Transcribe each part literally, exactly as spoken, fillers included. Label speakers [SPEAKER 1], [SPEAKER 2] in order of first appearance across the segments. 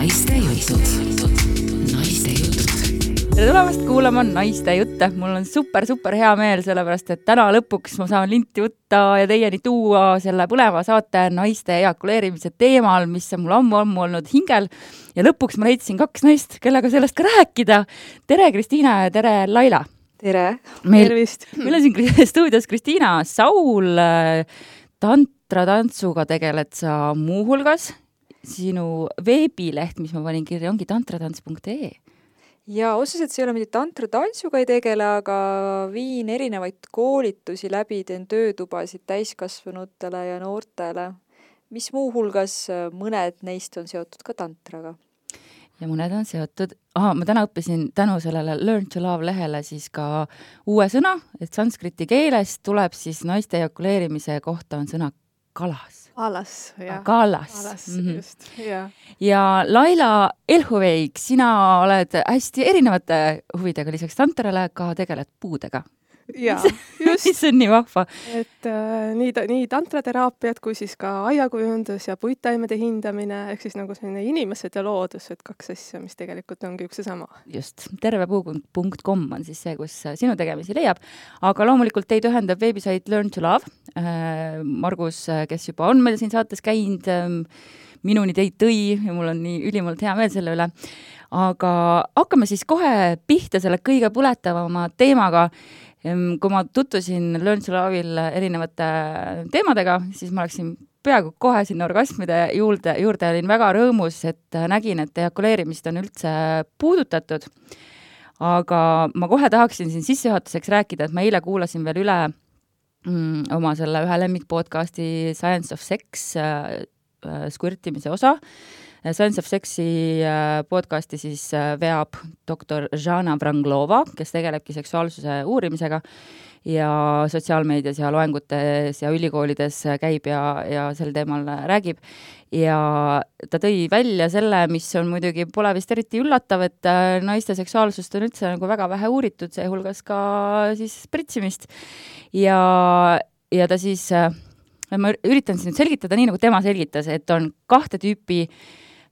[SPEAKER 1] Naiste jutud. Naiste jutud.
[SPEAKER 2] Tere tulemast kuulama Naiste jutte. Mul on super, super hea meel, sellepärast, et täna lõpuks ma saan linti võtta ja teieni tuua selle põneva saate naiste ejakuleerimise teemal, mis on mul ammu-ammu olnud hingel. Ja lõpuks ma leidsin kaks naist, kellega sellest ka rääkida. Tere Kristiina ja tere Laila.
[SPEAKER 3] Tere,
[SPEAKER 2] meil,
[SPEAKER 3] tervist.
[SPEAKER 2] Meil on siin stuudios Kristiina Saul. Tantratantsuga tegeled sa muuhulgas. Sinu veebileht, mis ma panin kirja, ongi tantratants punkt ee.
[SPEAKER 3] Ja otseselt see ei ole mitte tantratantsuga ei tegele, aga viin erinevaid koolitusi läbi, teen töötubasid täiskasvanutele ja noortele, mis muuhulgas mõned neist on seotud ka tantraga.
[SPEAKER 2] Ja mõned on seotud, aha, ma täna õppisin tänu sellele Learn to Love lehele siis ka uue sõna, et sanskriti keeles tuleb siis naiste ejakuleerimise kohta on sõna kalas.
[SPEAKER 3] Alas, jah.
[SPEAKER 2] Kalas.
[SPEAKER 3] Alas,
[SPEAKER 2] mm-hmm.
[SPEAKER 3] just, jah.
[SPEAKER 2] Ja Laila Elhuveik, sina oled hästi erinevate huvidega, lisaks tantrale ka tegeled puudega.
[SPEAKER 3] Jaa, just.
[SPEAKER 2] Mis on nii vahva.
[SPEAKER 4] Et äh, nii, nii tantrateraapiat kui siis ka aiakujundus ja puittaimede hindamine, ehk siis nagu selline inimesed ja loodus, et kaks asja, mis tegelikult ongi üks ja sama.
[SPEAKER 2] Just, tervepuu punkt com on siis see, kus sinu tegemisi leiab. Aga loomulikult teid ühendab veebisait Learn to Love. Margus, kes juba on meil siin saates käinud, minuni teid tõi ja mul on nii ülimalt hea meel selle üle. Aga hakkame siis kohe pihta selle kõige põletavama teemaga. Kui ma tutvusin Learn to Love'il erinevate teemadega, siis ma läksin peaaegu kohe sinna orgasmide juurde, juurde olin väga rõõmus, et nägin, et ejakuleerimist on üldse puudutatud. Aga ma kohe tahaksin siin sissejuhatuseks rääkida, et ma eile kuulasin veel üle mm, oma selle ühe lemmikpodcasti Science of Sex äh, squirtimise osa. Science of Sexi podcasti siis veab doktor Žana Vranglova, kes tegelebki seksuaalsuse uurimisega ja sotsiaalmeedias ja loengutes ja ülikoolides käib ja, ja sel teemal räägib. Ja ta tõi välja selle, mis on muidugi pole vist eriti üllatav, et naiste seksuaalsust on üldse nagu väga vähe uuritud, see hulgas ka siis pritsimist. Ja, ja ta siis, ma üritan siis nüüd selgitada nii, nagu tema selgitas, et on kahte tüüpi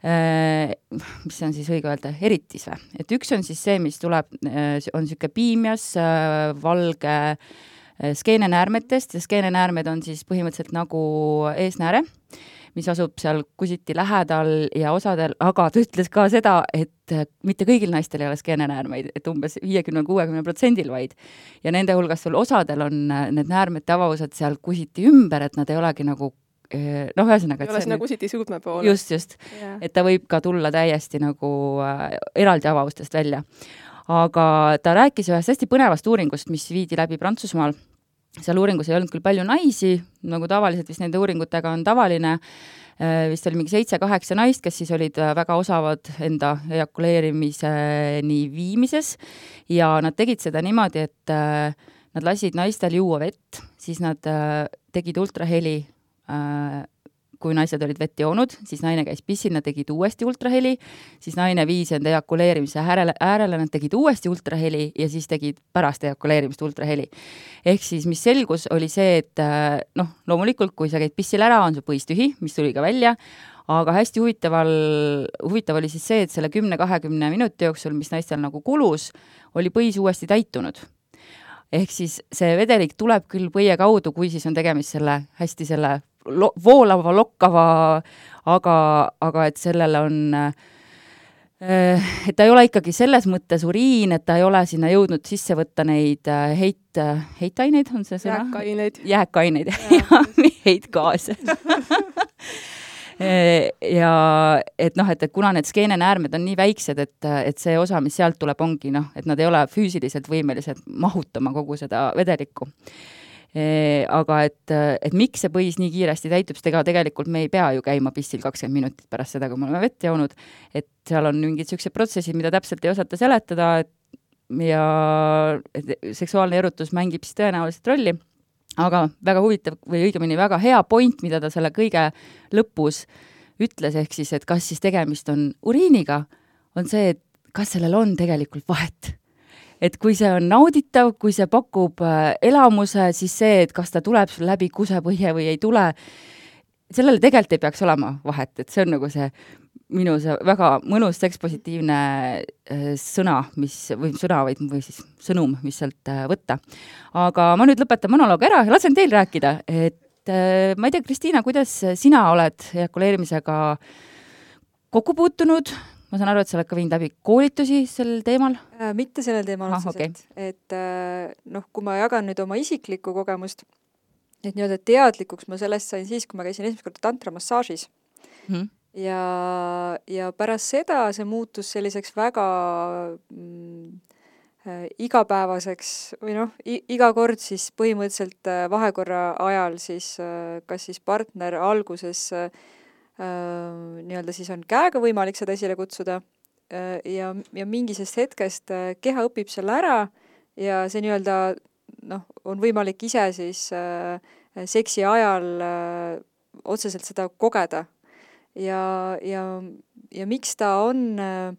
[SPEAKER 2] mis on siis õige öelda, eritis või? Et üks on siis see, mis tuleb, on siuke piimias valge skeenenäärmetest ja skeenenäärmed on siis põhimõtteliselt nagu eesnääre, mis asub seal kusiti lähedal ja osadel, aga ta ütles ka seda, et mitte kõigil naistel ei ole skeenenäärmeid, et umbes viiekümne kuuekümne protsendil vaid. Ja nende hulgas sul osadel on need näärmete avavused seal kusiti ümber, et nad ei olegi nagu noh, ühesõnaga,
[SPEAKER 4] ei ole sinna kusiti suudme poole.
[SPEAKER 2] Just, just. Yeah. Et ta võib ka tulla täiesti nagu äh, eraldi avavustest välja. Aga ta rääkis ühest hästi põnevast uuringust, mis viidi läbi Prantsusmaal. Seal uuringus ei olnud küll palju naisi, nagu tavaliselt vist nende uuringutega on tavaline. Äh, vist oli mingi seitse-kaheksa naist, kes siis olid väga osavad enda ejakuleerimiseni viimises. Ja nad tegid seda niimoodi, et äh, nad lasid naistel juua vett, siis nad äh, tegid ultraheli kui naised olid vett joonud, siis naine käis pissil, nad tegid uuesti ultraheli, siis naine viis enda ejakuleerimise äärele, äärele, nad tegid uuesti ultraheli ja siis tegid pärast ejakuleerimist ultraheli. Ehk siis, mis selgus, oli see, et noh, loomulikult, kui sa käid pissil ära, on su põis tühi, mis tuli ka välja, aga hästi huvitaval, huvitav oli siis see, et selle kümne-kahekümne minuti jooksul, mis naistel nagu kulus, oli põis uuesti täitunud. Ehk siis see vedelik tuleb küll põie kaudu, kui siis on tegemist selle hästi selle lo- voolava, lokkava, aga, aga et sellele on, et ta ei ole ikkagi selles mõttes uriin, et ta ei ole sinna jõudnud sisse võtta neid heit, heitaineid, on see sõna?
[SPEAKER 4] Jääkaineid.
[SPEAKER 2] Jääkaineid, ja heitgaase. Ja et noh, et, et kuna need skeenenäärmed on nii väiksed, et, et see osa, mis sealt tuleb, ongi noh, et nad ei ole füüsiliselt võimelised mahutama kogu seda vedelikku. E, aga et, et miks see põis nii kiiresti täitub, sest tegelikult me ei pea ju käima pissil kakskümmend minutit pärast seda, kui me oleme vett joonud, et seal on mingid sellised protsessid, mida täpselt ei osata seletada et, ja et seksuaalne erutus mängib siis tõenäoliselt rolli. Aga väga huvitav või õigemini väga hea point, mida ta selle kõige lõpus ütles, ehk siis, et kas siis tegemist on uriiniga, on see, et kas sellel on tegelikult vahet. Et kui see on nauditav, kui see pakub elamuse, siis see, et kas ta tuleb sul läbi kusepõhje või ei tule, sellele tegelikult ei peaks olema vahet, et see on nagu see minu see väga mõnus sekspositiivne sõna, mis, või sõna või, või siis sõnum, mis sealt võtta. Aga ma nüüd lõpetan monoloog ära ja lasen teil rääkida, et ma ei tea, Kristiina, kuidas sina oled ejakuleerimisega kokku puutunud? Ma saan aru, et sa oled ka viinud läbi koolitusi sel teemal?
[SPEAKER 3] Äh, mitte sellel teemal
[SPEAKER 2] ah,
[SPEAKER 3] otseselt.
[SPEAKER 2] Okay.
[SPEAKER 3] Et noh, kui ma jagan nüüd oma isiklikku kogemust, et nii-öelda teadlikuks ma sellest sain siis, kui ma käisin esimest korda tantramassaažis. Mm. Ja, ja pärast seda see muutus selliseks väga mm, äh, igapäevaseks või noh, iga kord siis põhimõtteliselt äh, vahekorra ajal siis äh, kas siis partner alguses äh, nii-öelda siis on käega võimalik seda esile kutsuda äh, ja, ja mingisest hetkest äh, keha õpib selle ära ja see nii-öelda noh, on võimalik ise siis äh, seksi ajal äh, otseselt seda kogeda. Ja, ja, ja miks ta on äh,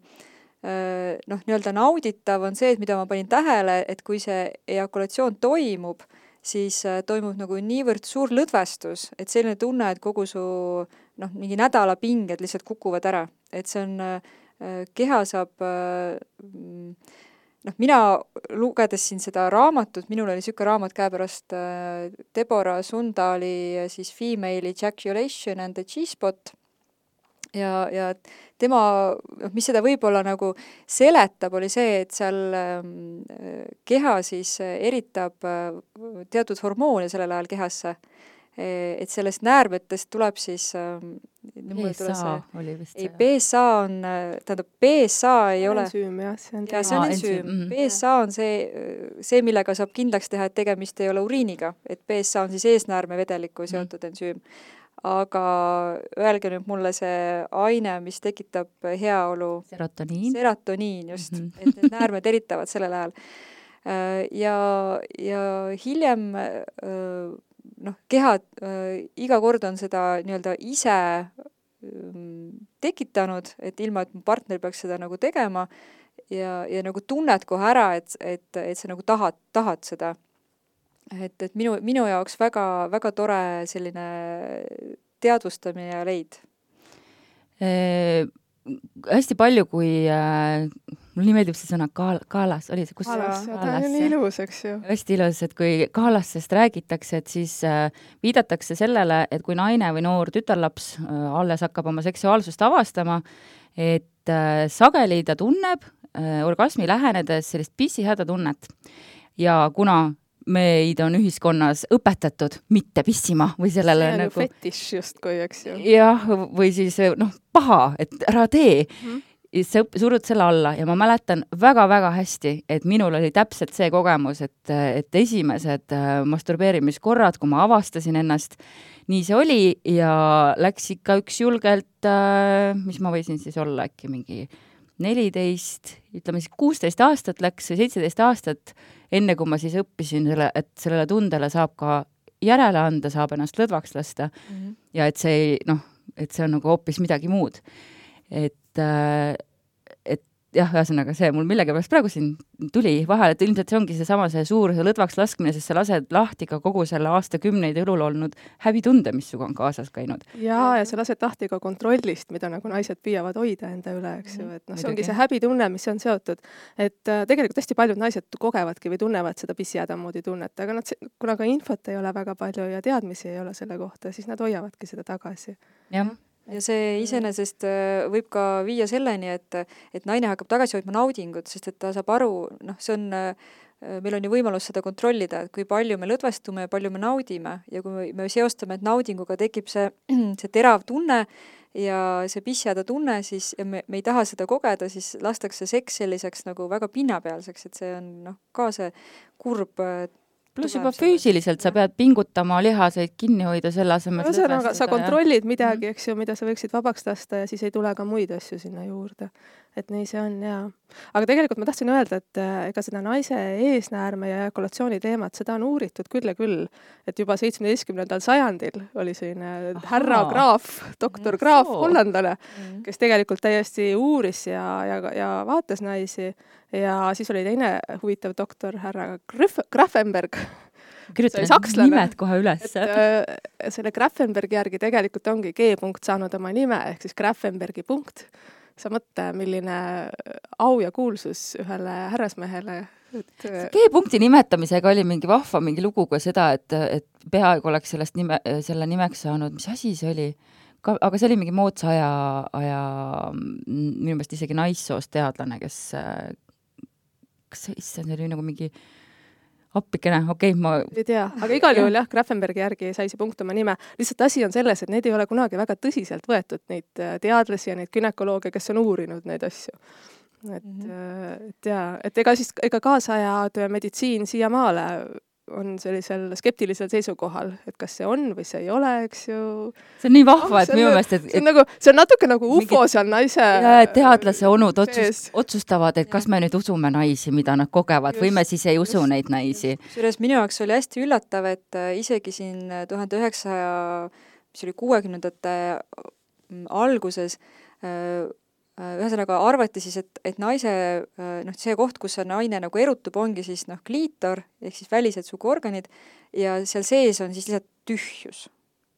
[SPEAKER 3] noh, nii-öelda nauditav on see, et mida ma panin tähele, et kui see ejakulatsioon toimub, siis äh, toimub nagu niivõrd suur lõdvestus, et selline tunne, et kogu su noh, mingi nädala pinged lihtsalt kukuvad ära. Et see on, äh, keha saab äh, noh, mina lugedes siin seda raamatut, minul oli siuke raamat käepärast äh, Deborah Sundali siis Female Ejaculation and the G-spot ja, ja tema, mis seda võib-olla nagu seletab, oli see, et seal äh, keha siis eritab äh, teatud hormoone sellel ajal kehasse. Et sellest näärmetest tuleb siis
[SPEAKER 2] B S A oli vist
[SPEAKER 3] ei, B S A on, tähendab, B S A ei ole
[SPEAKER 4] ensüüm, jah, see on,
[SPEAKER 3] ja, see on ensüüm. Mm-hmm. B S A on see, see, millega saab kindlaks teha, et tegemist ei ole uriiniga, et B S A on siis eesnäärmevedeliku seotud mm-hmm. ensüüm. Aga öelge nüüd mulle see aine, mis tekitab heaolu
[SPEAKER 2] serotoniin,
[SPEAKER 3] serotoniin just, mm-hmm. et need näärmed eritavad sellel ajal. Ja, ja hiljem noh, keha äh, iga kord on seda nii-öelda ise ähm, tekitanud, et ilma, et mu partner peaks seda nagu tegema ja, ja nagu tunned kohe ära, et, et, et sa nagu tahad, tahad seda. Et, et minu, minu jaoks väga, väga tore selline teadvustamine ja leid.
[SPEAKER 2] E hästi palju, kui äh, mul nii meeldib see sõna kaal, kaalas, oli see kus?
[SPEAKER 4] Kaalas, ja ta on nii ilus, eks ju.
[SPEAKER 2] Hästi ilus, et kui kaalasest räägitakse, et siis äh, viidatakse sellele, et kui naine või noor tütarlaps äh, alles hakkab oma seksuaalsust avastama, et äh, sageli ta tunneb äh, orgasmi lähenedes sellist pissihäda tunnet. Ja kuna meid on ühiskonnas õpetatud mitte pissima või sellele
[SPEAKER 4] see on
[SPEAKER 2] nagu...
[SPEAKER 4] fetiš justkui, eks ju.
[SPEAKER 2] Jah, või siis noh, paha, et ära tee. Mm-hmm. Sa surud selle alla ja ma mäletan väga-väga hästi, et minul oli täpselt see kogemus, et, et esimesed masturbeerimiskorrad, kui ma avastasin ennast, nii see oli ja läks ikka üks julgelt, mis ma võisin siis olla äkki mingi neliteist, ütleme siis kuusteist aastat läks või seitseteist aastat, enne kui ma siis õppisin, selle, et sellele tundele saab ka järele anda, saab ennast lõdvaks lasta mm-hmm. ja et see, noh, et see on nagu hoopis midagi muud. Et, et jah, ühesõnaga see mul millegipärast praegu siin tuli vahel, et ilmselt see ongi seesama see suur see lõdvaks laskmine, sest sa lased lahti ka kogu selle aastakümneid elul olnud häbitunde, mis suga on kaasas käinud.
[SPEAKER 4] Jaa, ja sa lased lahti ka kontrollist, mida nagu naised püüavad hoida enda üle, eks ju, et noh, see ongi see häbitunne, mis on seotud, et äh, tegelikult hästi paljud naised kogevadki või tunnevad seda pissihäda moodi tunnet, aga nad, kuna ka infot ei ole väga palju ja teadmisi ei ole selle kohta, siis nad hoiavadki seda tagasi.
[SPEAKER 2] Jah.
[SPEAKER 3] Ja see iseenesest võib ka viia selleni, et, et naine hakkab tagasi hoidma naudingut, sest et ta saab aru, noh, see on, meil on ju võimalus seda kontrollida, et kui palju me lõdvestume ja palju me naudime ja kui me seostame, et naudinguga tekib see, see terav tunne ja see pissihäda tunne, siis ja me, me ei taha seda kogeda, siis lastakse seks selliseks nagu väga pinnapealseks, et see on noh, ka see kurb
[SPEAKER 2] pluss juba füüsiliselt sa pead pingutama lihaseid kinni hoida selle asemel.
[SPEAKER 4] Ühesõnaga, sa kontrollid midagi, eks ju, mida sa võiksid vabaks lasta ja siis ei tule ka muid asju sinna juurde. Et nii see on, jaa. Aga tegelikult ma tahtsin öelda, et ega seda naise eesnäärme ja ejakulatsiooni teemat, seda on uuritud küll ja küll. Et juba seitsmeteistkümnendal sajandil oli selline härra Graaf, doktor Graaf, hollandlane, kes tegelikult täiesti uuris ja, ja, ja vaatas naisi. Ja siis oli teine huvitav doktor, härra Graf- Grafenberg,
[SPEAKER 2] kirjutan
[SPEAKER 4] sakslane,
[SPEAKER 2] nimed kohe üles.
[SPEAKER 4] et äh, selle Grafenbergi järgi tegelikult ongi G-punkt saanud oma nime, ehk siis Grafenbergi punkt. Sa mõtle, milline au ja kuulsus ühele härrasmehele. Et...
[SPEAKER 2] G-punkti nimetamisega oli mingi vahva mingi lugu ka seda, et, et peaaegu oleks sellest nime, selle nimeks saanud, mis asi see oli? Ka, aga see oli mingi moodsa aja, aja minu meelest isegi naissoost teadlane, kes kas see, see oli nagu mingi appikene, okei okay,, ma...
[SPEAKER 4] ei tea, aga igal juhul jah, Grafenbergi järgi sai see punkt oma nime. Lihtsalt asi on selles, et neid ei ole kunagi väga tõsiselt võetud, neid teadlasi ja neid günekolooge, kes on uurinud neid asju. Et, mm-hmm. et jaa, et ega siis ega kaasajad meditsiin siiamaale on sellisel skeptilisel seisukohal, et kas see on või see ei ole, eks ju.
[SPEAKER 2] See on nii vahva, et minu meelest, et...
[SPEAKER 4] See on, nagu, see on natuke nagu ufo mingi, seal naise...
[SPEAKER 2] Teadlase onud otsust, otsustavad, et kas me nüüd usume naisi, mida nad kogevad, just, või me siis ei usu just, neid naisi.
[SPEAKER 3] Sures minu jaoks oli hästi üllatav, et isegi siin tuhande üheksasaja, mis oli kuuekümnendate alguses, ühesõnaga arvati siis, et, et naise, noh, see koht, kus see naine nagu erutub, ongi siis noh, kliitor, ehk siis välised suguorganid, ja seal sees on siis lihtsalt tühjus.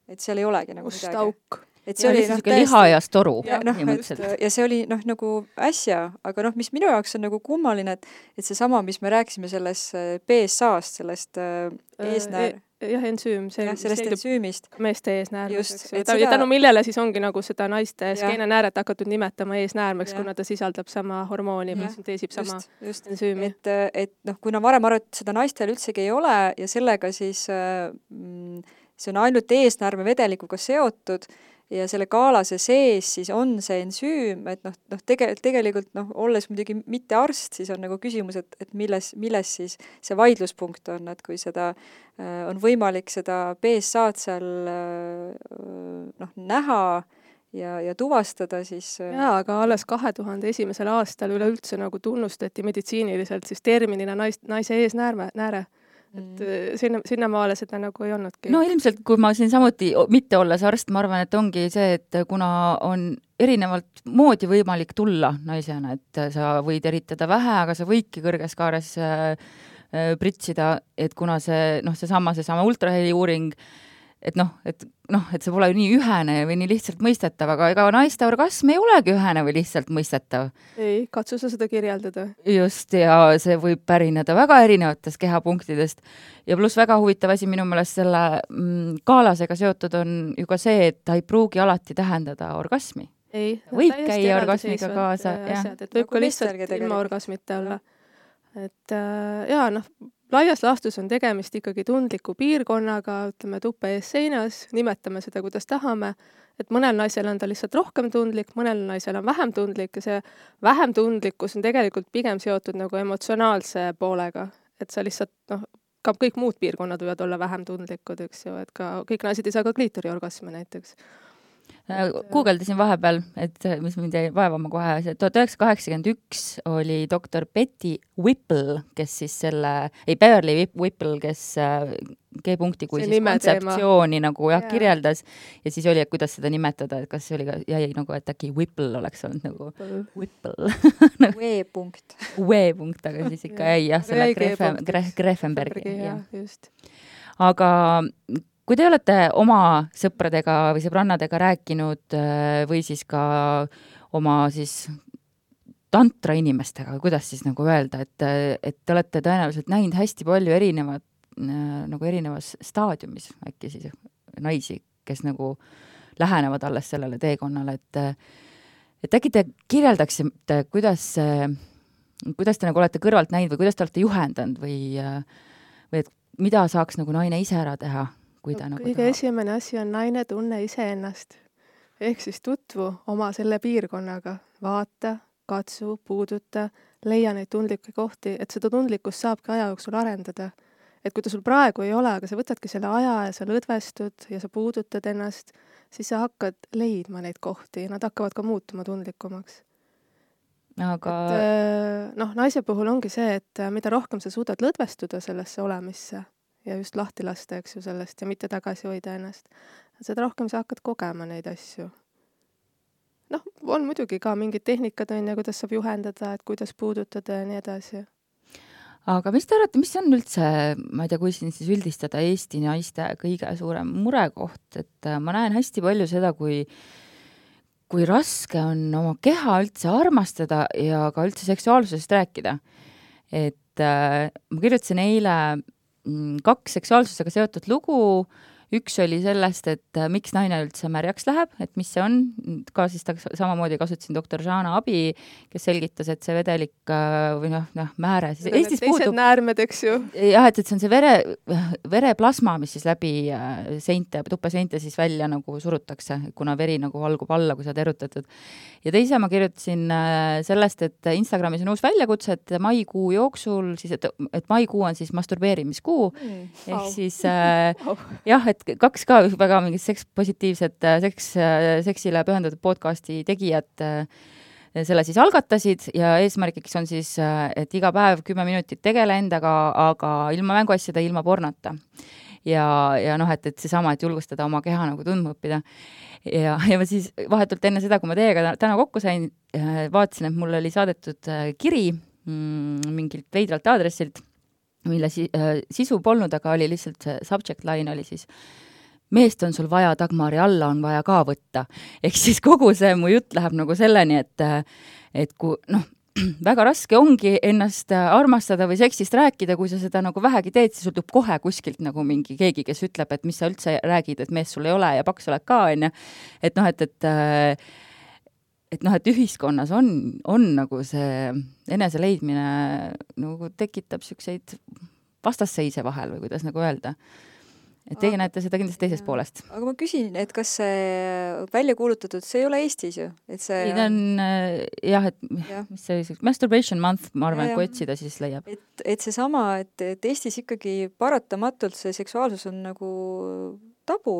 [SPEAKER 3] Et seal ei olegi nagu
[SPEAKER 4] midagi. Auk.
[SPEAKER 3] Et see ja oli noh,
[SPEAKER 2] täiesti liha ja storu.
[SPEAKER 3] Ja, no, ja see oli noh, nagu äsja, aga noh, mis minu jaoks on nagu kummaline, et, et see sama, mis me rääkisime selles B S A-st, sellest äh, eesnäär...
[SPEAKER 4] jah, ensüüm, see
[SPEAKER 3] ja, sellest ensüümist.
[SPEAKER 4] Meeste eesnäärmeks. Ja seda... tänu millele siis ongi nagu seda naiste skeenenääret hakatud nimetama eesnäärmeks, kuna ta sisaldab sama hormooni, või synteesib sama just, just. ensüümi.
[SPEAKER 3] Et, et noh, kuna varem arvati, seda naistel üldsegi ei ole ja sellega siis mm, see on ainult eesnäärme vedelikuga seotud ja selle kaalase sees siis on see ensüüm, et noh, noh tege, tegelikult noh, olles muidugi mitte arst, siis on nagu küsimus, et, et milles, milles siis see vaidluspunkt on, et kui seda äh, on võimalik seda B S A-d seal äh, noh, näha ja, ja tuvastada, siis äh...
[SPEAKER 4] jaa, aga alles kahe tuhande esimesel aastal üleüldse nagu tunnustati meditsiiniliselt siis terminina nais, naise eesnääre, nääre. Et sinna, sinnamaale seda nagu ei olnudki.
[SPEAKER 2] No ilmselt, kui ma siin samuti mitte olles arst, ma arvan, et ongi see, et kuna on erinevalt moodi võimalik tulla naisena, et sa võid eritada vähe, aga sa võidki kõrges kaares äh, pritsida, et kuna see, noh, see sama, see sama ultraheli uuring, et noh, et noh, et see pole nii ühene või nii lihtsalt mõistetav, aga ega naiste orgasm ei olegi ühene või lihtsalt mõistetav.
[SPEAKER 4] Ei, katsu sa seda kirjeldada.
[SPEAKER 2] Just, ja see võib pärineda väga erinevatest kehapunktidest. Ja pluss väga huvitav asi minu meelest selle mm, kaalasega seotud on ju ka see, et ta ei pruugi alati tähendada orgasmi.
[SPEAKER 4] Ei,
[SPEAKER 2] võib käia orgasmiga kaasa.
[SPEAKER 4] Asjad, et võib ka lihtsalt ilma orgasmita olla. Et äh, jaa, noh, laias laastus on tegemist ikkagi tundliku piirkonnaga, ütleme tuppe ees seinas, nimetame seda, kuidas tahame, et mõnel naisel on ta lihtsalt rohkem tundlik, mõnel naisel on vähem tundlik ja see vähem tundlikkus on tegelikult pigem seotud nagu emotsionaalse poolega, et sa lihtsalt, noh, ka kõik muud piirkonnad võivad olla vähem tundlikud, eks ju, et ka kõik naised ei saa ka kliitoriorgasmi näiteks.
[SPEAKER 2] Googledasin vahepeal, et mis mind jäi vaevama kohe, tuhat üheksasada kaheksakümmend üks oli doktor Betty Whipple, kes siis selle, ei Beverly Whipple, kes G-punkti kui see siis kontseptsiooni nagu jah, yeah. kirjeldas ja siis oli, et kuidas seda nimetada, et kas see oli ka, jäi nagu, et äkki Whipple oleks olnud nagu Whipple.
[SPEAKER 3] W-punkt.
[SPEAKER 2] W-punkt, aga siis ikka jäi jah, selle Grefen, Grefenbergi.
[SPEAKER 4] Just.
[SPEAKER 2] Aga kui te olete oma sõpradega või sõbrannadega rääkinud või siis ka oma siis tantra inimestega, kuidas siis nagu öelda, et, et te olete tõenäoliselt näinud hästi palju erinevat, nagu erinevas staadiumis äkki siis naisi, kes nagu lähenevad alles sellele teekonnale, et, et äkki te kirjeldaksite, kuidas, kuidas te nagu olete kõrvalt näinud või kuidas te olete juhendanud või, või et mida saaks nagu naine ise ära teha?
[SPEAKER 4] No, kõige taha. Esimene asi on naine tunne iseennast. Ehk siis tutvu oma selle piirkonnaga. Vaata, katsu, puuduta, leia neid tundlikke kohti, et seda tundlikkust saabki aja jooksul arendada. Et kui ta sul praegu ei ole, aga sa võtadki selle aja ja sa lõdvestud ja sa puudutad ennast, siis sa hakkad leidma neid kohti ja nad hakkavad ka muutuma tundlikumaks.
[SPEAKER 2] Aga...
[SPEAKER 4] Et, noh, naise puhul ongi see, et mida rohkem sa suudad lõdvestuda sellesse olemisse, ja just lahti lasta, eks ju, sellest ja mitte tagasi hoida ennast. Seda rohkem sa hakkad kogema neid asju. Noh, on muidugi ka mingid tehnikad, on ja kuidas saab juhendada, et kuidas puudutada ja nii edasi.
[SPEAKER 2] aga mis te arvate, mis on üldse, ma ei tea, kui siin siis üldistada Eesti naiste kõige suurem murekoht, et ma näen hästi palju seda, kui kui raske on oma keha üldse armastada ja ka üldse seksuaalsusest rääkida. Et äh, ma kirjutasin eile kaks seksuaalsusega seotud lugu, üks oli sellest, et miks naine üldse märjaks läheb, et mis see on, ka siis ta samamoodi kasutasin doktor Žana abi, kes selgitas, et see vedelik või noh, noh määre, siis Eestis puudub...
[SPEAKER 4] Teised näärmed, eks ju.
[SPEAKER 2] Jah, et, et see on see vere, vereplasma, mis siis läbi seinte, tupeseinte siis välja nagu surutakse, kuna veri nagu valgub alla, kui sa terutatud. Ja teise ma kirjutasin sellest, et Instagramis on uus väljakutse, et maikuu jooksul, siis, et, et maikuu on siis masturbeerimiskuu, mm, ehk oh. siis äh, oh. jah, et kaks ka väga mingid seks, positiivsed seks, seksile pühendatud podcasti tegijad selle siis algatasid ja eesmärgiks on siis, et iga päev kümme minutit tegele endaga, aga ilma mänguasjada, ilma pornota. Ja, ja noh, et, et seesama, et julgustada oma keha nagu tundma õppida. Ja, ja ma siis vahetult enne seda, kui ma teiega täna kokku sain, vaatasin, et mulle oli saadetud kiri mm, mingilt veidralt aadressilt, mille si- sisu polnud, aga oli lihtsalt see subject line oli siis meest on sul vaja, Dagmari alla on vaja ka võtta. Ehk siis kogu see mu jutt läheb nagu selleni, et, et kui, noh, väga raske ongi ennast armastada või seksist rääkida, kui sa seda nagu vähegi teed, siis sul tuleb kohe kuskilt nagu mingi keegi, kes ütleb, et mis sa üldse räägid, et mees sul ei ole ja paks oled ka, on ja. Et noh, et, et et noh, et ühiskonnas on, on nagu see enese leidmine nagu tekitab siukseid vastasseise vahel või kuidas nagu öelda. Et teie aga, näete seda kindlasti teisest poolest.
[SPEAKER 3] Aga ma küsin, et kas see välja kuulutatud, see ei ole Eestis ju? Et see
[SPEAKER 2] ei, ta on jah, et ja. mis see masturbation month, ma arvan, et kui otsida, siis leiab.
[SPEAKER 3] Et, et see sama, et, et Eestis ikkagi paratamatult see seksuaalsus on nagu tabu.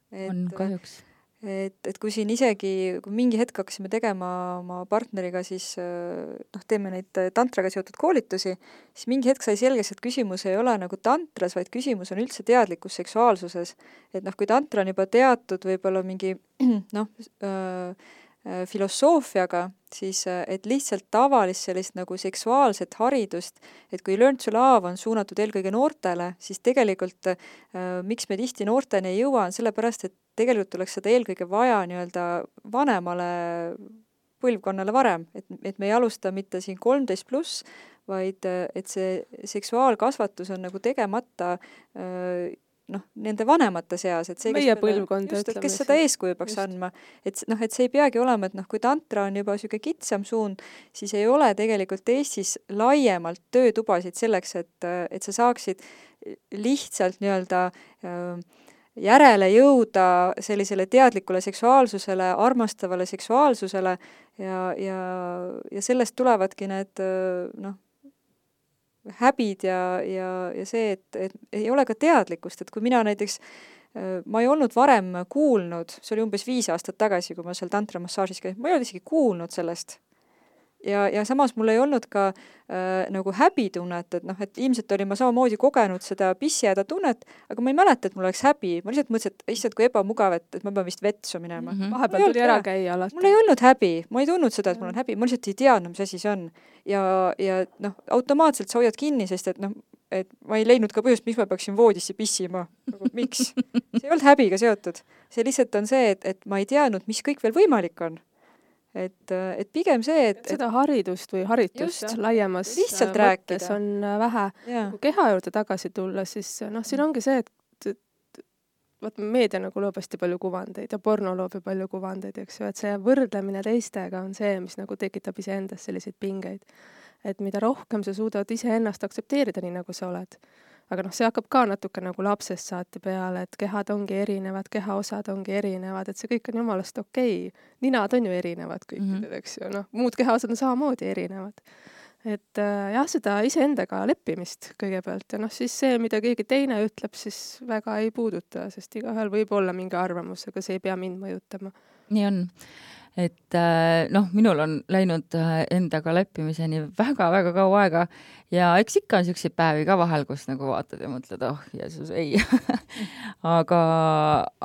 [SPEAKER 2] Et, on kahjuks.
[SPEAKER 3] Et, et kui siin isegi, kui mingi hetk hakkasime tegema oma partneriga, siis noh, teeme neid tantraga seotud koolitusi, siis mingi hetk sai selgeks, et küsimus ei ole nagu tantras, vaid küsimus on üldse teadlikus seksuaalsuses. Et noh, kui tantra on juba teatud võib-olla mingi noh, äh, filosoofiaga, siis et lihtsalt tavalist sellist nagu seksuaalset haridust, et kui Learn to Love on suunatud eelkõige noortele, siis tegelikult äh, miks me tihti noorteni ei jõua, on sellepärast, et tegelikult tuleks seda eelkõige vaja nii-öelda vanemale põlvkonnale varem, et, et me ei alusta mitte siin kolmteist pluss, vaid et see seksuaalkasvatus on nagu tegemata äh, noh, nende vanemate seas, et see,
[SPEAKER 4] meie kes, põlvkond,
[SPEAKER 3] just, et kes seda eeskuju peaks just. andma. Et noh, et see ei peagi olema, et noh, kui tantra on juba süge kitsam suund, siis ei ole tegelikult Eestis laiemalt töötubasid selleks, et, et sa saaksid lihtsalt nii-öelda järele jõuda sellisele teadlikule seksuaalsusele, armastavale seksuaalsusele ja, ja, ja sellest tulevadki need noh, häbid ja, ja, ja see, et, et ei ole ka teadlikkust, et kui mina näiteks, ma ei olnud varem kuulnud, see oli umbes viis aastat tagasi, kui ma seal tantramassaažis käin, ma ei olnud isegi kuulnud sellest. Ja, ja samas mul ei olnud ka äh, nagu häbitunnet, et noh, et ilmselt oli ma samamoodi kogenud seda pissijäda tunnet, aga ma ei mäleta, et mul oleks häbi. Ma lihtsalt mõtlesin, et issand, kui ebamugav, et, et ma pean vist vetsu minema.
[SPEAKER 4] Mm-hmm. Vahepeal tuli ära käia alati.
[SPEAKER 3] Mul ei olnud häbi. Ma ei tundnud seda, et mul on häbi. Ma lihtsalt ei teadnud, mis asi see on. Ja, ja noh, automaatselt sa hoiad kinni, sest et noh, et ma ei leidnud ka põhjust, miks ma peaksin voodisse pissima. Nagu, miks? See ei olnud häbiga seotud. See lihtsalt on see, et, et ma ei teadnud, mis kõik veel võimalik on. Et, et pigem see, et...
[SPEAKER 4] Seda haridust või haritust just, laiemas
[SPEAKER 3] lihtsalt
[SPEAKER 4] mõttes on vähe. Ja. Kui keha juurde tagasi tulla, siis noh, siin ongi see, et, et vaat meedia nagu loob hästi palju kuvandeid ja porno loob palju kuvandeid, eks ju, et see võrdlemine teistega on see, mis nagu tekitab iseendas selliseid pingeid. Et mida rohkem sa suudad iseennast aktsepteerida nii, nagu sa oled. Aga noh, see hakkab ka natuke nagu lapsest saati peale, et kehad ongi erinevad, kehaosad ongi erinevad, et see kõik on jumalast okei. Ninad on ju erinevad kõikidel, mm-hmm. eks ju, noh, muud kehaosad on samamoodi erinevad. Et äh, jah, seda iseendaga leppimist kõigepealt ja noh, siis see, mida keegi teine ütleb, siis väga ei puuduta, sest igaühel võib olla mingi arvamus, aga see ei pea mind mõjutama.
[SPEAKER 2] Nii on. Et noh, minul on läinud endaga leppimiseni väga-väga kaua aega ja eks ikka on siukseid päevi ka vahel, kus nagu vaatad ja mõtled, oh, Jeesus, ei. aga,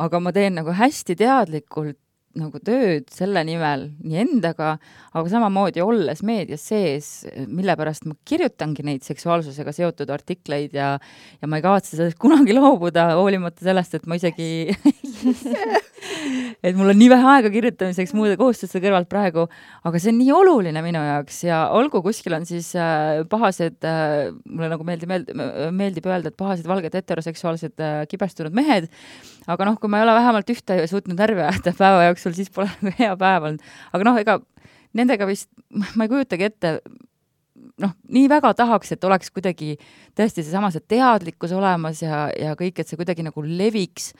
[SPEAKER 2] aga ma teen nagu hästi teadlikult nagu tööd selle nimel nii endaga, aga samamoodi olles meedias sees, mille pärast ma kirjutangi neid seksuaalsusega seotud artikleid ja, ja ma ei kavatse sellest kunagi loobuda, hoolimata sellest, et ma isegi et mul on nii vähe aega kirjutamiseks muude kohustuste kõrvalt praegu, aga see on nii oluline minu jaoks ja olgu kuskil on siis äh, pahased, äh, mulle nagu meeldib, meeldib, meeldib öelda, et pahased valged heteroseksuaalsed äh, kibestunud mehed, aga noh, kui ma ei ole vähemalt ühte suutnud närvi ajada päeva jooksul, siis pole nagu hea päev olnud. Aga noh, ega nendega vist, ma ei kujutagi ette, noh, nii väga tahaks, et oleks kuidagi tõesti seesama see teadlikkus olemas ja, ja kõik, et see kuidagi nagu leviks.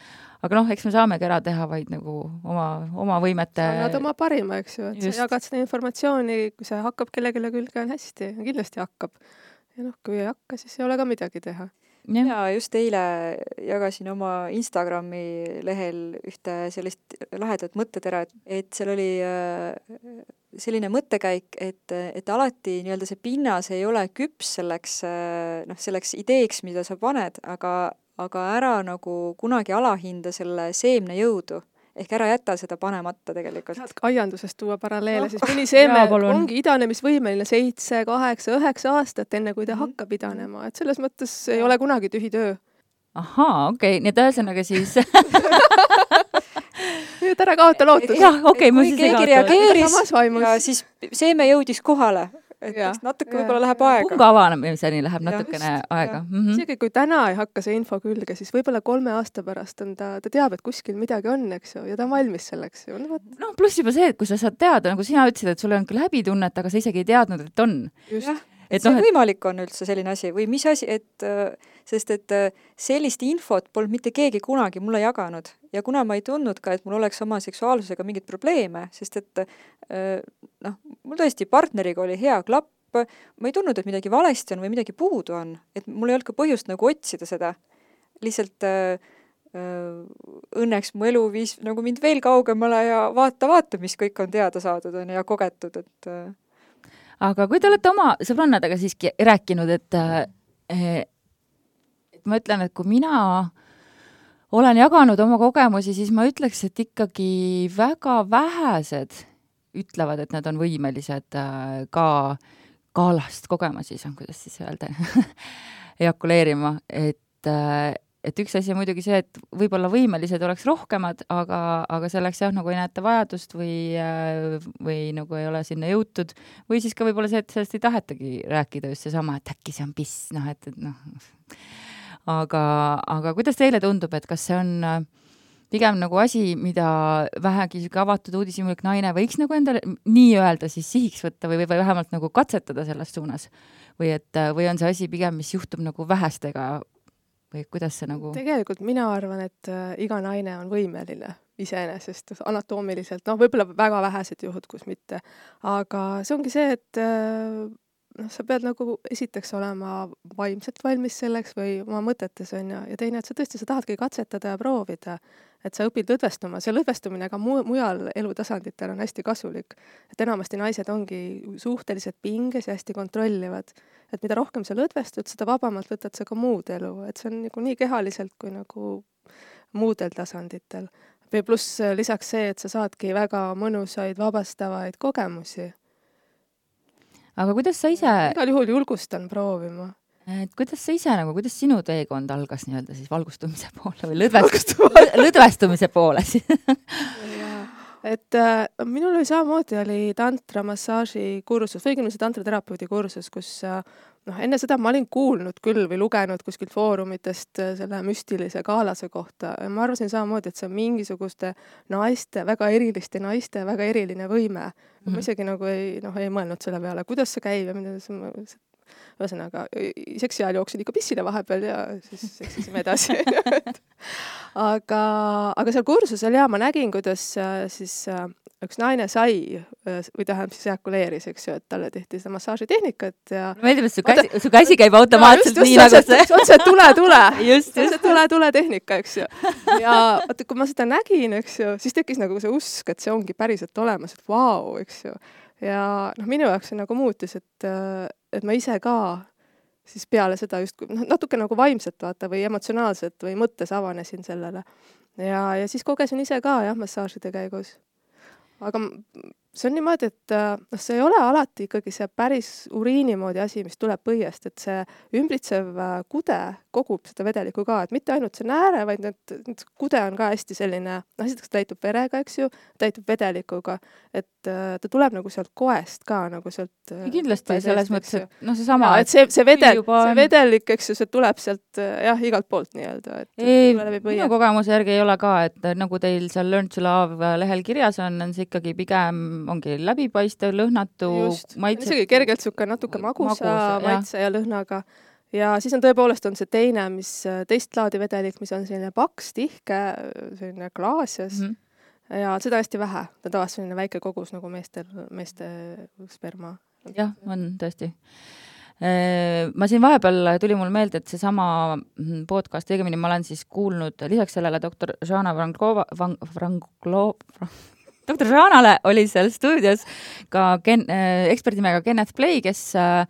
[SPEAKER 2] Aga noh, eks me saamegi ära teha vaid nagu oma, oma võimete...
[SPEAKER 4] Annad oma parima, eks ju, et Just. sa jagad seda informatsiooni, kui see hakkab kellegile külge on hästi, kindlasti hakkab. Ja noh, kui ei hakka, siis ei ole ka midagi teha.
[SPEAKER 3] Ja, ja just eile jagasin oma Instagrami lehel ühte sellist lahedat mõttetera, et seal oli selline mõttekäik, et, et alati nii-öelda see pinnas ei ole küps selleks, noh, selleks ideeks, mida sa paned, aga aga ära nagu kunagi alahinda selle seemne jõudu. Ehk ära jäta seda panemata tegelikult.
[SPEAKER 4] Saad aiandusest tuua paralleele, no. Siis mõni seeme ongi idanemisvõimeline seitse, kaheksa, üheksa aastat, enne kui ta mm-hmm. hakkab idanema. Et selles mõttes ei ole kunagi tühi töö.
[SPEAKER 2] Ahaa, okei, okay. Nii et ühesõnaga siis...
[SPEAKER 4] Nüüd ära kaota lootus.
[SPEAKER 2] Jah, okei, okay,
[SPEAKER 3] kui keegi reageeris ja siis seeme jõudis kohale. Et ja, natuke võib-olla läheb aega.
[SPEAKER 2] Punga avanemiseni läheb natukene ja, aega. Mm-hmm.
[SPEAKER 4] Isegi kui täna ei hakka see info külge, siis võib-olla kolme aasta pärast on ta, ta teab, et kuskil midagi on, eks ju, ja ta on valmis selleks ju.
[SPEAKER 2] No, no pluss juba see, et kui sa saad teada, nagu sina ütlesid, et sul on küll häbitunnet, aga sa isegi ei teadnud, et on.
[SPEAKER 3] Just. Jah, et, et see no, võimalik on üldse selline asi või mis asi, et sest et sellist infot polnud mitte keegi kunagi mulle jaganud ja kuna ma ei tundnud ka, et mul oleks oma seksuaalsusega mingit probleeme, sest et noh, mul tõesti partneriga oli hea klapp, ma ei tundnud, et midagi valesti on või midagi puudu on, et mul ei olnud ka põhjust nagu otsida seda. Lihtsalt äh, õnneks mu elu viis nagu mind veel kaugemale ja vaata, vaata, mis kõik on teada saadud on ja kogetud, et äh...
[SPEAKER 2] Aga kui te olete oma sõbrannadega siiski rääkinud, et, et ma ütlen, et kui mina olen jaganud oma kogemusi, siis ma ütleks, et ikkagi väga vähesed ütlevad, et nad on võimelised ka kaalast kogema, siis on, kuidas siis öelda, ejakuleerima, et, et üks asi on muidugi see, et võib-olla võimelised oleks rohkemad, aga, aga selleks jah, nagu ei näeta vajadust või, või nagu ei ole sinna jõutud, või siis ka võib-olla see, et sellest ei tahetagi rääkida just seesama, et äkki see on piss, noh, et, et noh, aga, aga kuidas teile tundub, et kas see on pigem nagu asi, mida vähegi avatud uudishimulik naine võiks nagu endale nii öelda siis sihiks võtta või, või vähemalt nagu katsetada selles suunas? Või, et, või on see asi pigem, mis juhtub nagu vähestega või kuidas see nagu... Tegelikult
[SPEAKER 4] mina arvan, et iga naine on võimeline iseenesest anatoomiliselt, noh, võib-olla väga vähesed juhud, kus mitte. Aga see ongi see, et noh, sa pead nagu esiteks olema vaimselt valmis selleks või oma mõtetes on ja, ja teine, et sa tõesti, sa tahadki katsetada ja proovida, et sa õpid lõdvestuma. See lõdvestumine ka mu- mujal elutasanditel on hästi kasulik. Et enamasti naised ongi suhteliselt pinges ja hästi kontrollivad. Et mida rohkem sa lõdvestud, seda vabamalt võtad sa ka muud elu. Et see on nagu nii kehaliselt kui nagu muudel tasanditel. Või pluss lisaks see, et sa saadki väga mõnusaid, vabastavaid kogemusi.
[SPEAKER 2] Aga kuidas sa ise...
[SPEAKER 4] Igal juhul julgustan proovima.
[SPEAKER 2] Et kuidas sa ise, nagu, kuidas sinu teekond algas nii-öelda siis valgustumise poole või lõdvest... lõdvestumise poole?
[SPEAKER 4] Et äh, minul oli samamoodi oli tantra massaaži kursus, või õigemini see tantraterapeudi kursus, kus äh, noh, enne seda ma olin kuulnud küll või lugenud kuskilt foorumitest äh, selle müstilise kaalase kohta. Ja ma arvasin samamoodi, et see on mingisuguste naiste, väga eriliste naiste, väga eriline võime. Mm-hmm. Ma isegi nagu ei, noh, ei mõelnud selle peale, kuidas see käib ja mida see... Ühesõnaga, seksi ajal jooksin ikka pissile vahepeal ja siis seksisime edasi. aga, aga seal kursusel ja ma nägin, kuidas siis üks naine sai või tähendab siis ejakuleeris, eks ju, et talle tehti seda massaažitehnikat ja...
[SPEAKER 2] Meeldib, et su käsi, su käsi käib automaatselt
[SPEAKER 4] no, just,
[SPEAKER 2] nii nagu see.
[SPEAKER 4] See on see tule-tule. Just, just. See tule-tule tehnika, eks ju. Ja vaata, kui ma seda nägin, eks ju, siis tekkis nagu see usk, et see ongi päriselt olemas, et vau, eks ju. Ja noh, minu jaoks see nagu muutis, et, et ma ise ka siis peale seda just noh, natuke nagu vaimselt vaata või emotsionaalselt või mõttes avanesin sellele. Ja, ja siis kogesin ise ka jah, massaažide käigus. aga see on niimoodi, et noh, see ei ole alati ikkagi see päris uriini moodi asi, mis tuleb põiest, et see ümbritsev kude kogub seda vedelikku ka, et mitte ainult see nääre, vaid need, need kude on ka hästi selline, noh, esiteks täitub verega, eks ju, täitub vedelikuga, et ta tuleb nagu sealt koest ka, nagu sealt
[SPEAKER 2] kindlasti selles mõttes, et noh, see sama
[SPEAKER 4] ja, et see, see, vedel, see vedelik, eks ju, see tuleb sealt jah, igalt poolt nii-öelda, et
[SPEAKER 2] ei, minu kogemuse järgi ei ole ka, et nagu teil seal Learn to Love lehel kirjas on, on see ikkagi pigem ongi läbipaistev, lõhnatu, maitse.
[SPEAKER 4] Isegi kergelt suke natuke magusa Magus, maitse ja. ja lõhnaga. Ja siis on tõepoolest on see teine, mis teist laadi vedelik, mis on selline paks, tihke, selline klaasias. Mm -hmm. Ja seda hästi vähe. Ta tavaliselt selline väike kogus nagu meestel, meeste sperma.
[SPEAKER 2] Jah, on tõesti. Ma siin vahepeal tuli mul meelde, et see sama podcast, õigemini ma olen siis kuulnud lisaks sellele doktor Žana Vranglova, Vranglova, doktor Žanale oli seal stuudios ka Ken, äh, eksperdimega Kenneth Play, kes äh,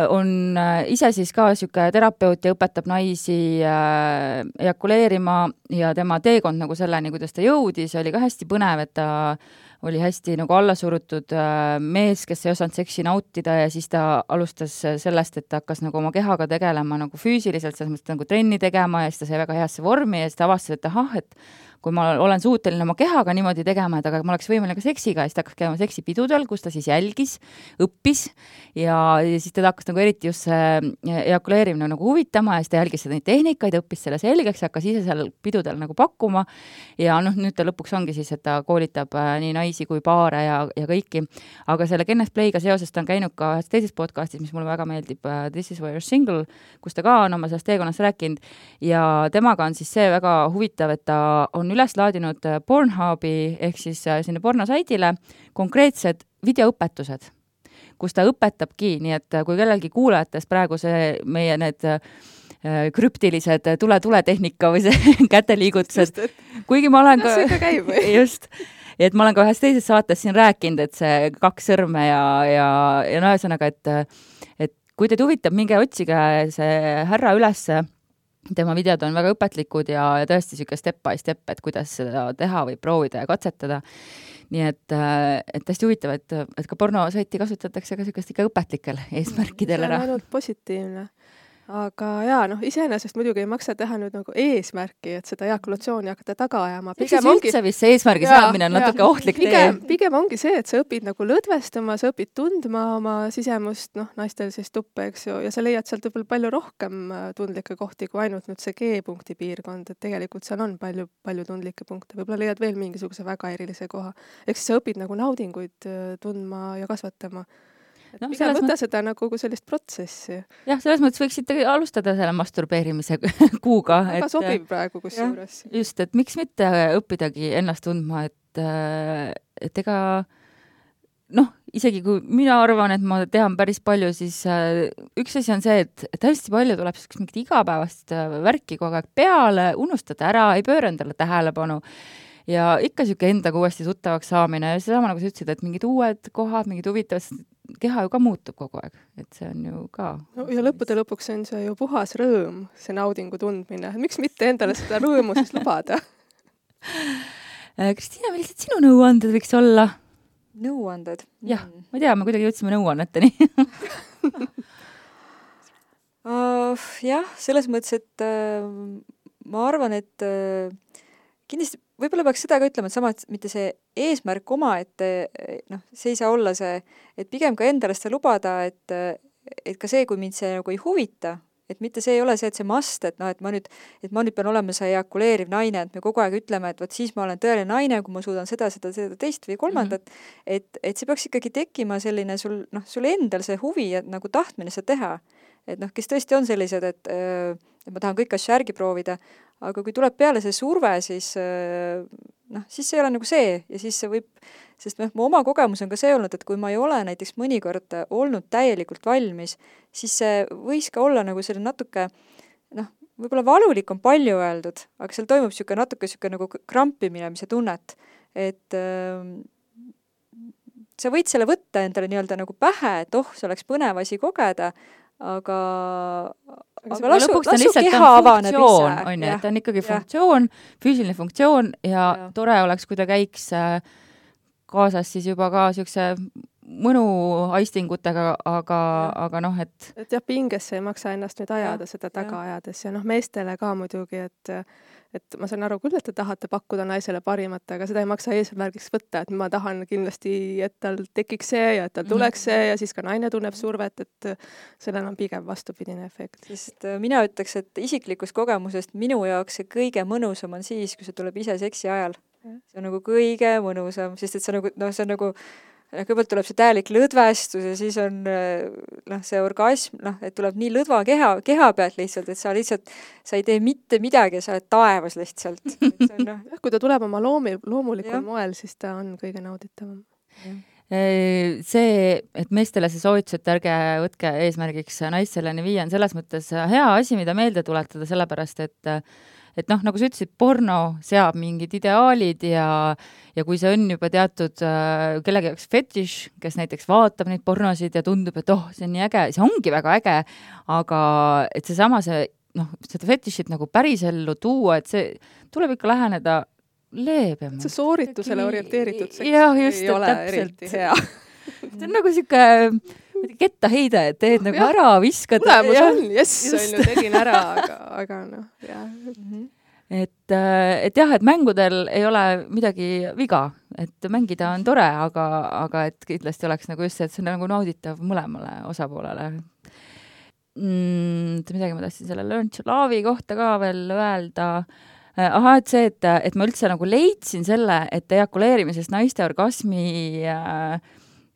[SPEAKER 2] on ise siis ka siuke terapeut ja õpetab naisi äh, ejakuleerima ja tema teekond nagu selleni, kuidas ta jõudis, oli ka hästi põnev, et ta oli hästi nagu allasurutud äh, mees, kes ei osanud seksi nautida ja siis ta alustas sellest, et ta hakkas nagu oma kehaga tegelema nagu füüsiliselt, selles mõttes nagu trenni tegema ja siis ta sai väga heasse vormi ja siis ta avastas, et ahah, et kui ma olen suuteline oma kehaga niimoodi tegema, et aga ma oleks võimeline ka seksiga ja siis ta hakkas käima seksipidudel, kus ta siis jälgis, õppis ja, ja siis teda hakkas nagu eriti just see ejakuleerimine nagu huvitama ja siis ta jälgis seda neid tehnikaid, õppis selle selgeks ja hakkas ise seal pidudel nagu pakkuma ja noh, nüüd ta lõpuks ongi siis, et ta koolitab äh, nii naisi kui paare ja, ja kõiki, aga selle Kenneth Play'ga seoses ta on käinud ka ühes teises podcastis, mis mulle väga meeldib, uh, This is why you're single, kus ta ka on oma sellest teekonnast rääkinud ja temaga on siis see väga huvitav, et ta on üles laadinud Pornhubi ehk siis sinna pornosaidile konkreetsed videoõpetused, kus ta õpetabki, nii et kui kellelgi kuulajatest praegu see meie need krüptilised tule-tule-tehnika või see käteliigutused, kuigi ma olen ka, just, et ma olen ka ühes teises saates siin rääkinud, et see kaks sõrme ja, ja, ja no ühesõnaga, et, et kui teid huvitab, minge otsige see härra ülesse, tema videod on väga õpetlikud ja, ja tõesti siuke step by step, et kuidas seda teha või proovida ja katsetada. Nii et, et hästi huvitav, et, et ka pornosaiti kasutatakse ka siukest ikka õpetlikel eesmärkidel ära.
[SPEAKER 4] See on ainult positiivne. Aga jaa, noh, iseenesest muidugi ei maksa teha nüüd nagu eesmärki, et seda ejakulatsiooni hakata taga ajama.
[SPEAKER 2] Pigem ongi üldse vist see eesmärgi saamine on natuke ohtlik
[SPEAKER 4] pigem, tee. Pigem ongi see, et sa õpid nagu lõdvestama, sa õpid tundma oma sisemust, noh, naistel siis tuppe, eks ju, ja sa leiad sealt võib-olla palju rohkem tundlikke kohti kui ainult nüüd see G-punkti piirkond, et tegelikult seal on palju, palju tundlikke punkte. Võib-olla leiad veel mingisuguse väga erilise koha. Ehk siis sa õpid nagu naudinguid tundma ja kasvatama. No, pigem võtta mõt... seda nagu kui sellist protsessi.
[SPEAKER 2] Jah, selles mõttes võiksite alustada selle masturbeerimise kuuga.
[SPEAKER 4] Väga et, sobib praegu kus juures.
[SPEAKER 2] Just, et miks mitte õppidagi ennast tundma, et, et ega noh, isegi kui mina arvan, et ma tean päris palju, siis üks asi on see, et, et hästi palju tuleb mingit igapäevast värki kogu aeg peale, unustada ära, ei pööra endale tähelepanu. Ja ikka siuke endaga uuesti tuttavaks saamine ja seesama nagu sa ütlesid, et mingid uued kohad, mingid huvitavad, keha ju ka muutub kogu aeg, et see on ju ka...
[SPEAKER 4] No, ja lõppude lõpuks on see ju puhas rõõm, see naudingu tundmine. Miks mitte endale seda rõõmu siis lubada?
[SPEAKER 2] Kristiina, millised sinu nõuanded võiks olla?
[SPEAKER 3] Nõuanded?
[SPEAKER 2] Jah, ma ei tea, me kuidagi jõudsime nõuanneteni.
[SPEAKER 3] uh, jah, selles mõttes, et uh, ma arvan, et uh, kindlasti võib-olla peaks seda ka ütlema, et sama, et mitte see eesmärk oma, et noh, see ei saa olla see, et pigem ka endale seda lubada, et, et ka see, kui mind see nagu ei huvita, et mitte see ei ole see, et see must, et noh, et ma nüüd, et ma nüüd pean olema see ejakuleeriv naine, et me kogu aeg ütleme, et vot siis ma olen tõeline naine, kui ma suudan seda, seda, seda teist või kolmandat, mm-hmm. et, et see peaks ikkagi tekkima selline sul, noh, sul endal see huvi ja nagu tahtmine seda teha. Et noh, kes tõesti on sellised, et, et ma tahan kõik asju järgi proovida, aga kui tuleb peale see surve, siis noh, siis see ei ole nagu see ja siis see võib, sest noh, mu oma kogemus on ka see olnud, et kui ma ei ole näiteks mõnikord olnud täielikult valmis, siis see võis ka olla nagu selline natuke, noh, võib-olla valulik on palju öeldud, aga seal toimub siuke natuke siuke nagu krampimine, mis see tunnet, et äh, sa võid selle võtta endale nii-öelda nagu pähe, et oh, see oleks põnev asi kogeda, aga
[SPEAKER 2] aga,
[SPEAKER 3] aga lasu,
[SPEAKER 2] lõpuks ta on
[SPEAKER 3] lasu
[SPEAKER 2] lihtsalt
[SPEAKER 3] keha
[SPEAKER 2] on
[SPEAKER 3] avaneb
[SPEAKER 2] funktsioon,
[SPEAKER 3] ise.
[SPEAKER 2] on ju, et ta on ikkagi
[SPEAKER 3] jah.
[SPEAKER 2] funktsioon, füüsiline funktsioon ja,
[SPEAKER 3] Ja.
[SPEAKER 2] tore oleks, kui ta käiks äh, kaasas siis juba ka siukse mõnu aistingutega, aga, aga noh, et
[SPEAKER 4] et jah, pingesse ei maksa ennast nüüd ajada
[SPEAKER 3] Jah,
[SPEAKER 4] seda taga
[SPEAKER 3] jah.
[SPEAKER 4] ajades ja noh, meestele ka muidugi, et et ma saan aru küll, et te tahate pakkuda naisele parimat, aga seda ei maksa eesmärgiks võtta, et ma tahan kindlasti, et tal tekiks see ja et tal tuleks see ja siis ka naine tunneb survet, et sellel on pigem vastupidine efekt.
[SPEAKER 3] Sest äh, mina ütleks, et isiklikust kogemusest minu jaoks see kõige mõnusam on siis, kui see tuleb ise seksi ajal. See on nagu kõige mõnusam, sest et see on nagu, noh, see on nagu kõigepealt tuleb see täielik lõdvestus ja siis on noh, see orgasm, noh, et tuleb nii lõdva keha, keha pealt lihtsalt, et sa lihtsalt, sa ei tee mitte midagi ja sa oled taevas lihtsalt. See on, noh,
[SPEAKER 4] Jah, kui ta tuleb oma loomi, loomulikul
[SPEAKER 3] Jah.
[SPEAKER 4] moel, siis ta on kõige nauditavam.
[SPEAKER 2] see, et meestele see soovitus, et ärge võtke eesmärgiks naisselleni viia, on selles mõttes hea asi, mida meelde tuletada, sellepärast et et noh, nagu sa ütlesid, porno seab mingid ideaalid ja, ja kui see on juba teatud äh, kellegi jaoks fetiš, kes näiteks vaatab neid pornosid ja tundub, et oh, see on nii äge, see ongi väga äge, aga et seesama see, noh, seda fetišit nagu päris ellu tuua, et see tuleb ikka läheneda leebemalt.
[SPEAKER 4] See sooritusele orienteeritud seks
[SPEAKER 2] jah, just,
[SPEAKER 4] ei ole
[SPEAKER 2] täpselt.
[SPEAKER 4] eriti hea.
[SPEAKER 2] See on nagu siuke kettaheide, et teed nagu
[SPEAKER 4] jah.
[SPEAKER 2] ära, viskad.
[SPEAKER 4] Tulemus on, jess,
[SPEAKER 2] just.
[SPEAKER 4] on ju, tegin ära, aga, aga noh, jah.
[SPEAKER 2] Et, et jah, et mängudel ei ole midagi viga, et mängida on tore, aga, aga et kindlasti oleks nagu just see, et see on nagu nauditav mõlemale osapoolele. Mm, midagi ma tahtsin selle Learn to Love'i kohta ka veel öelda. Aha, et see, et, et ma üldse nagu leidsin selle, et ejakuleerimisest naiste orgasmi äh,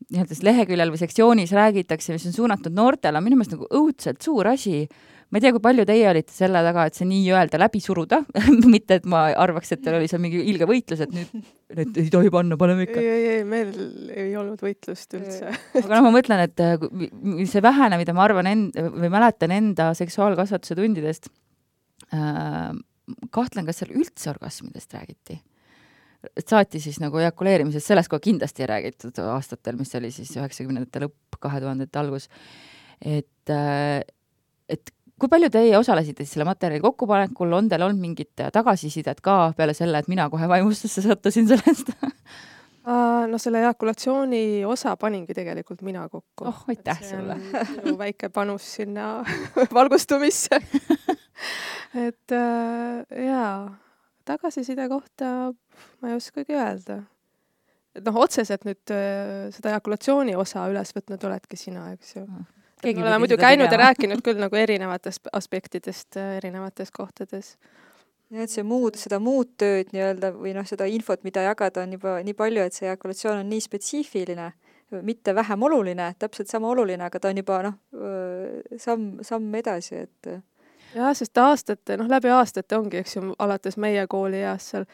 [SPEAKER 2] nii-öelda leheküljel või sektsioonis räägitakse, mis on suunatud noortele, minu meelest nagu õudselt suur asi. Ma ei tea, kui palju teie olite selle taga, et see nii-öelda läbi suruda, mitte et ma arvaks, et teil oli seal mingi ilge võitlus, et nüüd, nüüd ei tohi panna, paneme ikka.
[SPEAKER 4] Ei, ei, ei, meil ei olnud võitlust üldse.
[SPEAKER 2] Aga noh, ma mõtlen, et see vähene, mida ma arvan end, või mäletan enda seksuaalkasvatuse tundidest, äh, kahtlen, kas seal üldse orgasmidest räägiti. Saati siis nagu ejakuleerimisest, sellest kohe kindlasti ei räägitud aastatel, mis oli siis üheksakümnendate lõpp, kahe tuhandete algus. Et, et kui palju teie osalesite siis selle materjali kokkupanekul, on teil olnud mingit tagasisidet ka peale selle, et mina kohe vaimustusse sattusin sellest?
[SPEAKER 4] No selle ejakulatsiooni osa paningi tegelikult mina kokku.
[SPEAKER 2] Oh, aitäh sulle.
[SPEAKER 4] Minu väike panus sinna valgustumisse. et äh, jaa, tagasiside kohta ma ei oskagi öelda. Et noh, otseselt nüüd äh, seda ejakulatsiooni osa üles võtnud oledki sina, eks ju. Me oleme muidu käinud ja rääkinud küll nagu erinevatest aspektidest erinevates kohtades.
[SPEAKER 3] Ja, et see muud, seda muud tööd nii-öelda või noh, seda infot, mida jagada on juba nii palju, et see ejakulatsioon on nii spetsiifiline, mitte vähem oluline, täpselt sama oluline, aga ta on juba noh, samm, samm edasi, et
[SPEAKER 4] jah, sest aastate, noh läbi aastate ongi, eks ju, alates meie kooli eas seal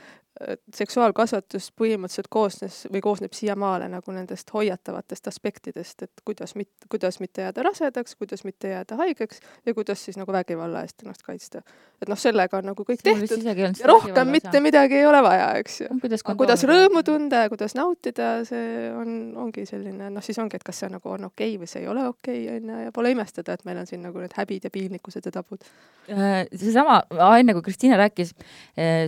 [SPEAKER 4] seksuaalkasvatus põhimõtteliselt koosnes või koosneb siiamaale nagu nendest hoiatavatest aspektidest, et kuidas, mit, kuidas mitte jääda rasedaks, kuidas mitte jääda haigeks ja kuidas siis nagu vägivalla eest ennast kaitsta. Et noh, sellega on nagu kõik tehtud ja rohkem mitte midagi ei ole vaja, eks ju. Kuidas, kuidas rõõmu tunda ja kuidas nautida, see on, ongi selline, noh siis ongi, et kas see nagu on okei või see ei ole okei, on ja pole imestada, et meil on siin nagu need häbid ja piinlikkused ja tabud.
[SPEAKER 2] See sama, enne kui Kristiina rääkis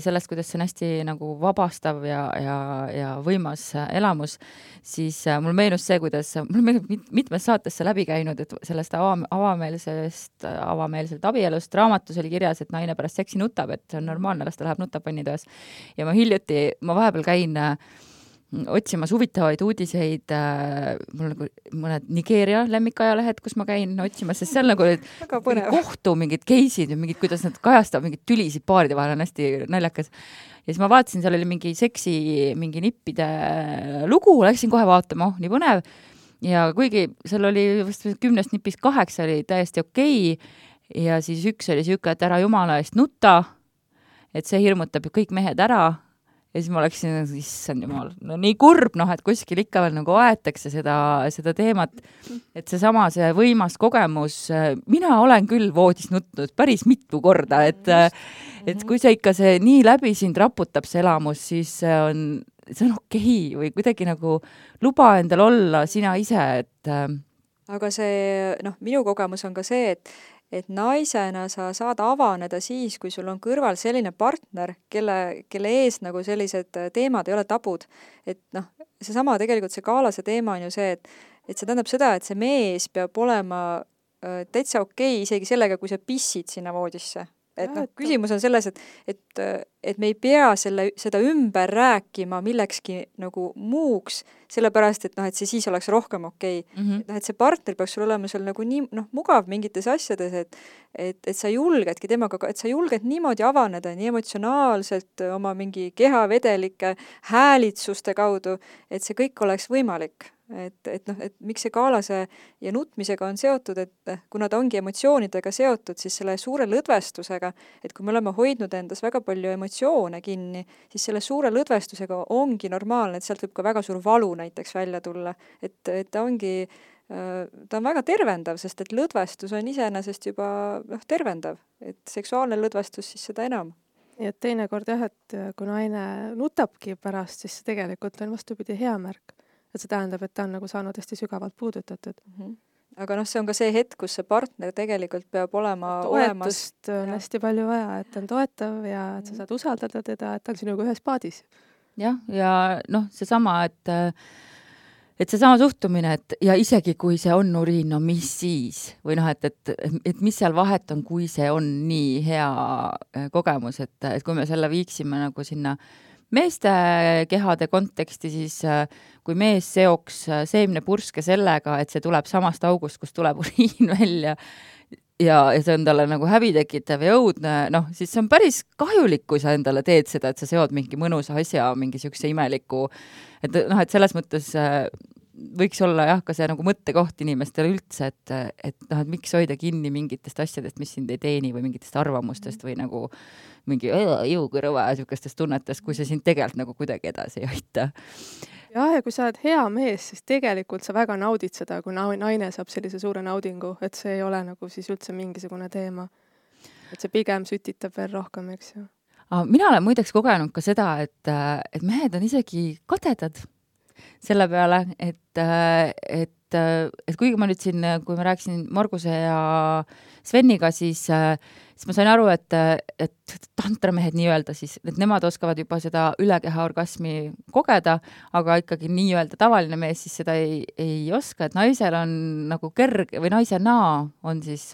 [SPEAKER 2] sellest, kuidas see on hästi nagu vabastav ja, ja, ja võimas elamus, siis mul meenus see, kuidas, mul meenub mit, mitmes saatesse läbi käinud, et sellest ava, avameelsest, avameelselt abielust raamatus oli kirjas, et naine pärast seksi nutab, et see on normaalne, las ta läheb nutab pannitoas. Ja ma hiljuti, ma vahepeal käin otsimas huvitavaid uudiseid, mul nagu mõned Nigeeria lemmikajalehed, kus ma käin otsimas, sest seal nagu kohtu mingid case'id ja mingid, kuidas nad kajastavad mingid tülisid paaride vahel, on hästi naljakas. Ja siis ma vaatasin, seal oli mingi seksi, mingi nippide lugu, läksin kohe vaatama, oh, nii põnev. Ja kuigi seal oli vast kümnest nipist kaheksa oli täiesti okei, ja siis üks oli siuke, et ära jumala eest nutta, et see hirmutab kõik mehed ära. Ja siis ma läksin, issand jumal, no nii kurb, noh, et kuskil ikka veel nagu aetakse seda, seda teemat, et see sama, see võimas kogemus, mina olen küll voodis nutnud päris mitu korda, et, et kui see ikka see nii läbi sind raputab see elamus, siis see on, see on okei või kuidagi nagu luba endal olla sina ise, et
[SPEAKER 3] aga see, noh, minu kogemus on ka see, et et naisena sa saad avaneda siis, kui sul on kõrval selline partner, kelle, kelle ees nagu sellised teemad ei ole tabud. Et noh, seesama tegelikult see Kaalase teema on ju see, et, et see tähendab seda, et see mees peab olema äh, täitsa okei isegi sellega, kui sa pissid sinna voodisse. Et noh, küsimus on selles, et, et, et me ei pea selle, seda ümber rääkima millekski nagu muuks, sellepärast, et noh, et see siis oleks rohkem okei. Mm-hmm. Et noh, et see partner peaks sul olema seal nagu nii, noh, mugav mingites asjades, et, et, et sa julgedki temaga, et sa julged niimoodi avaneda, nii emotsionaalselt oma mingi kehavedelike häälitsuste kaudu, et see kõik oleks võimalik. Et, et noh, et miks see Kaalase ja nutmisega on seotud, et kuna ta ongi emotsioonidega seotud, siis selle suure lõdvestusega, et kui me oleme hoidnud endas väga palju emotsioone kinni, siis selle suure lõdvestusega ongi normaalne, et sealt võib ka väga suur valu näiteks välja tulla. Et, et ta ongi, ta on väga tervendav, sest et lõdvestus on iseenesest juba noh, tervendav, et seksuaalne lõdvestus siis seda enam.
[SPEAKER 4] Nii et teinekord jah, et kui naine nutabki pärast, siis tegelikult on vastupidi hea märk. Et see tähendab, et ta on nagu saanud hästi sügavalt puudutatud.
[SPEAKER 3] Mm-hmm. Aga noh, see on ka see hetk, kus see partner tegelikult peab olema
[SPEAKER 4] toetust olemas. On hästi palju vaja, et ta on toetav ja et sa saad usaldada teda, et ta on sinuga ühes paadis.
[SPEAKER 2] Jah, ja noh, see sama, et, et see sama suhtumine, et ja isegi kui see on uriin, no mis siis? Või noh, et, et, et mis seal vahet on, kui see on nii hea kogemus, et, et kui me selle viiksime nagu sinna meeste kehade konteksti, siis kui mees seoks seemnepurske sellega, et see tuleb samast august, kus tuleb uriin välja ja, ja see on talle nagu häbitekitav ja õudne, noh, siis see on päris kahjulik, kui sa endale teed seda, et sa seod mingi mõnusa asja, mingi siukse imeliku, et noh, et selles mõttes võiks olla jah, ka see nagu mõttekoht inimestele üldse, et, et noh, et miks hoida kinni mingitest asjadest, mis sind ei teeni või mingitest arvamustest või nagu mingi jõukõrva ja siukestest tunnetest, kui see sind tegelikult nagu kuidagi edasi ei aita.
[SPEAKER 4] Jah, ja kui sa oled hea mees, siis tegelikult sa väga naudid seda, kui naine saab sellise suure naudingu, et see ei ole nagu siis üldse mingisugune teema. Et see pigem sütitab veel rohkem, eks ju.
[SPEAKER 2] Mina olen muideks kogenud ka seda, et, et mehed on isegi kadedad selle peale, et, et, et kuigi ma nüüd siin, kui ma rääkisin Marguse ja Sveniga, siis, siis ma sain aru, et, et tantramehed nii-öelda siis, et nemad oskavad juba seda ülekeha orgasmi kogeda, aga ikkagi nii-öelda tavaline mees siis seda ei, ei oska, et naisel on nagu kerge või naisena on siis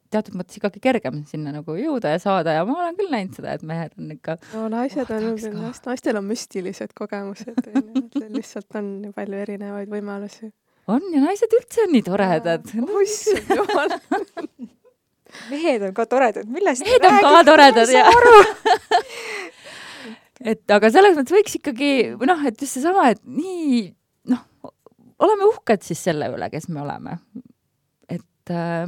[SPEAKER 2] teatud mõttes ikkagi kergem sinna nagu jõuda ja saada ja ma olen küll näinud seda, et mehed on ikka
[SPEAKER 4] no naised on, naist, naistel on müstilised kogemused, et lihtsalt on nii palju erinevaid võimalusi.
[SPEAKER 2] On ja naised üldse on nii toredad.
[SPEAKER 4] Issand jumal.
[SPEAKER 3] Mehed on ka toredad, millest
[SPEAKER 2] mehed on ka toredad ja et aga selles mõttes võiks ikkagi, noh, et just see sama, et nii, noh, oleme uhked siis selle üle, kes me oleme. Et äh,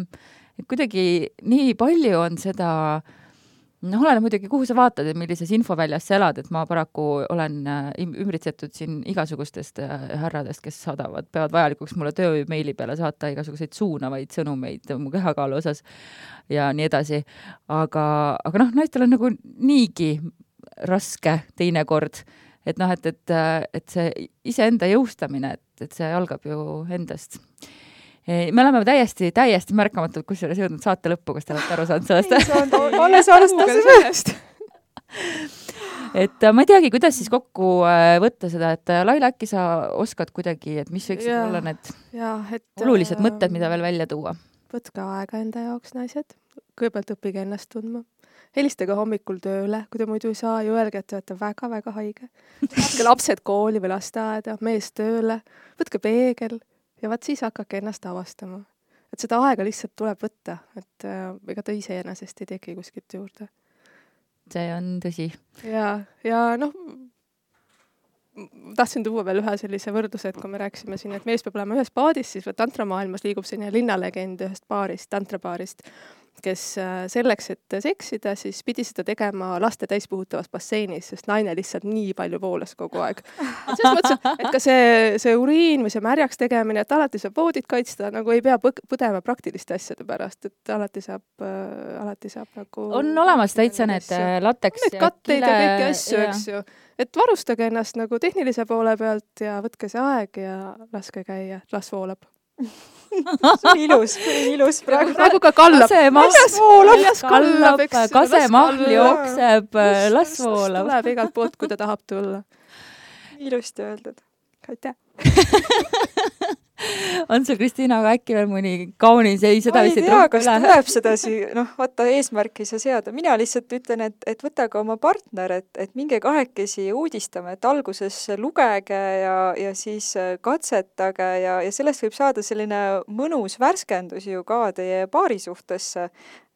[SPEAKER 2] et kuidagi nii palju on seda, noh, olen muidugi, kuhu sa vaatad, et millises infoväljas sa elad, et ma paraku olen ümbritsetud siin igasugustest härradest, kes saadavad, peavad vajalikuks mulle töömeili peale saata igasuguseid suunavaid sõnumeid mu kehakaalu osas ja nii edasi. Aga, aga noh, naistel on nagu niigi raske teinekord, et noh, et, et, et see iseenda jõustamine, et, et see algab ju endast. Me oleme täiesti, täiesti märkamatult, kus selles jõudnud saate lõppu, kas te olete aru saanud sellest?
[SPEAKER 3] Alles alustasime sellest.
[SPEAKER 2] Et ma ei teagi, kuidas siis kokku võtta seda, et Laila, äkki sa oskad kuidagi, et mis võiksid ja, olla need
[SPEAKER 4] ja, et,
[SPEAKER 2] olulised mõtted, mida veel välja tuua?
[SPEAKER 4] Võtke aega enda jaoks, naised. Kõigepealt õppige ennast tundma. Helistage hommikul tööle, kui te muidu ei saa, ju öelge, et te olete väga-väga haige. Võtke lapsed kooli või lasteaeda, mees tööle, võtke peegel. Ja vaat siis hakake ennast avastama. Et seda aega lihtsalt tuleb võtta, et äh, ega ta ise ennasest ei teki kuskilt juurde.
[SPEAKER 2] See on tõsi.
[SPEAKER 4] Ja, ja noh, tahtsin tuua veel ühe sellise võrdluse, et kui me rääkisime siin, et mees peab olema ühes paadis, siis tantramaailmas liigub selline linnalegend ühest paarist, tantrapaarist, kes selleks, et seksida, siis pidi seda tegema laste täispuhutavas basseinis, sest naine lihtsalt nii palju voolas kogu aeg. Et selles mõttes, et ka see, see uriin või see märjaks tegemine, et alati saab voodit kaitsta, nagu ei pea põdema praktiliste asjade pärast, et alati saab, äh, alati saab nagu...
[SPEAKER 2] On olemas täitsa need lateks
[SPEAKER 4] need katteid ja kõiki asju, eks ju. Et varustage ennast nagu tehnilise poole pealt ja võtke see aeg ja laske käia, las voolab.
[SPEAKER 3] see on ilus, ilus praegu.
[SPEAKER 4] Praegu ka kallab.
[SPEAKER 2] Väljas
[SPEAKER 4] voolab,
[SPEAKER 2] kallab, kasemahl jookseb, las voolab.
[SPEAKER 4] Tuleb igalt poolt, kui ta tahab tulla.
[SPEAKER 3] Ilusti öeldud.
[SPEAKER 4] Aitäh.
[SPEAKER 2] On sul, Kristiina, aga äkki veel mõni kaunis, ei, seda vist
[SPEAKER 3] ei tea, kas tuleb sedasi, noh, vaata, eesmärki ei saa seada. Mina lihtsalt ütlen, et, et võta ka oma partner, et, et minge kahekesi uudistame, et alguses lugege ja, ja siis katsetage ja, ja sellest võib saada selline mõnus värskendus ju ka teie paari suhtesse.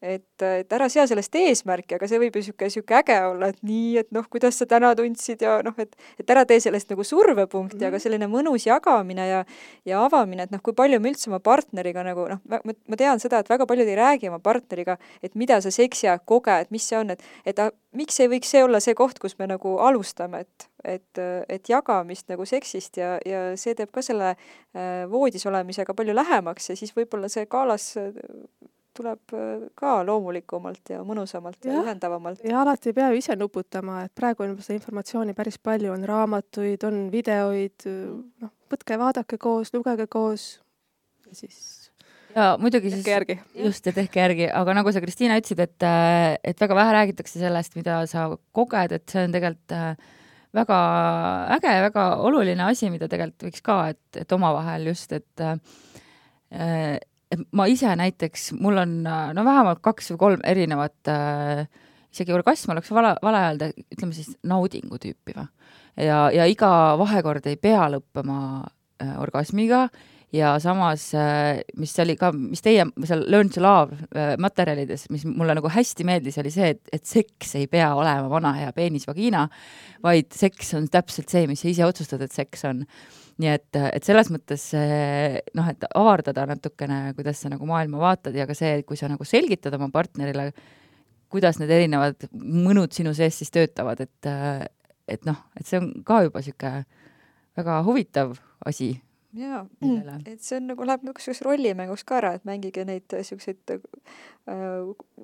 [SPEAKER 3] Et, et ära sea sellest eesmärki, aga see võib ju siuke, siuke äge olla, et nii, et noh, kuidas sa täna tundsid ja noh, et, et ära tee sellest nagu survepunkti, mm-hmm. aga selline mõnus jagamine ja, ja avamine, et noh, kui palju me üldse oma partneriga nagu noh, ma, ma tean seda, et väga paljud ei räägi oma partneriga, et mida sa seksi ajal koged, mis see on, et, et a, miks ei võiks see olla see koht, kus me nagu alustame, et, et, et jagamist nagu seksist ja, ja see teeb ka selle äh, voodis olemisega palju lähemaks ja siis võib-olla see kaalas tuleb ka loomulikumalt ja mõnusamalt ja, ja ühendavamalt.
[SPEAKER 4] Ja alati ei pea ju ise nuputama, et praegu on seda informatsiooni päris palju, on raamatuid, on videoid, noh, võtke, vaadake koos, lugege koos ja siis
[SPEAKER 2] ja muidugi siis,
[SPEAKER 4] järgi.
[SPEAKER 2] Just, ja tehke järgi, aga nagu sa, Kristiina, ütlesid, et, et väga vähe räägitakse sellest, mida sa koged, et see on tegelikult väga äge ja väga oluline asi, mida tegelikult võiks ka, et, et omavahel just, et äh, et ma ise näiteks, mul on no vähemalt kaks või kolm erinevat äh, isegi orgasm oleks vala, vale öelda, ütleme siis naudingu tüüpi või. Ja, ja iga vahekord ei pea lõppema äh, orgasmiga ja samas, äh, mis oli ka, mis teie seal Learn to Love äh, materjalides, mis mulle nagu hästi meeldis, oli see, et, et seks ei pea olema vana hea peenis vagina, vaid seks on täpselt see, mis sa ise otsustad, et seks on. Nii et, et selles mõttes noh, et avardada natukene, kuidas sa nagu maailma vaatad ja ka see, kui sa nagu selgitad oma partnerile, kuidas need erinevad mõnud sinu sees siis töötavad, et, et noh, et see on ka juba siuke väga huvitav asi.
[SPEAKER 3] Jaa, et see on nagu, läheb niisuguseks rollimängus ka ära, et mängige neid siukseid äh,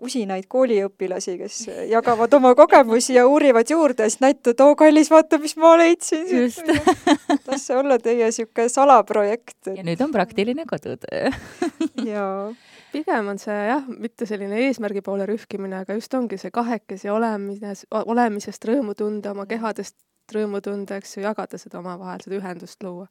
[SPEAKER 3] usinaid kooliõpilasi, kes jagavad oma kogemusi ja uurivad juurde ja siis näitavad, oo kallis, vaata, mis ma leidsin.
[SPEAKER 2] Just.
[SPEAKER 3] Las see olla teie siuke salaprojekt. Et...
[SPEAKER 2] Ja nüüd on praktiline kodutöö.
[SPEAKER 3] Jaa.
[SPEAKER 4] Pigem on see jah, mitte selline eesmärgi poole rühkimine, aga just ongi see kahekesi olemis, olemisest rõõmu tunda, oma kehadest rõõmu tunda, eks ju, jagada seda omavahel, seda ühendust luua.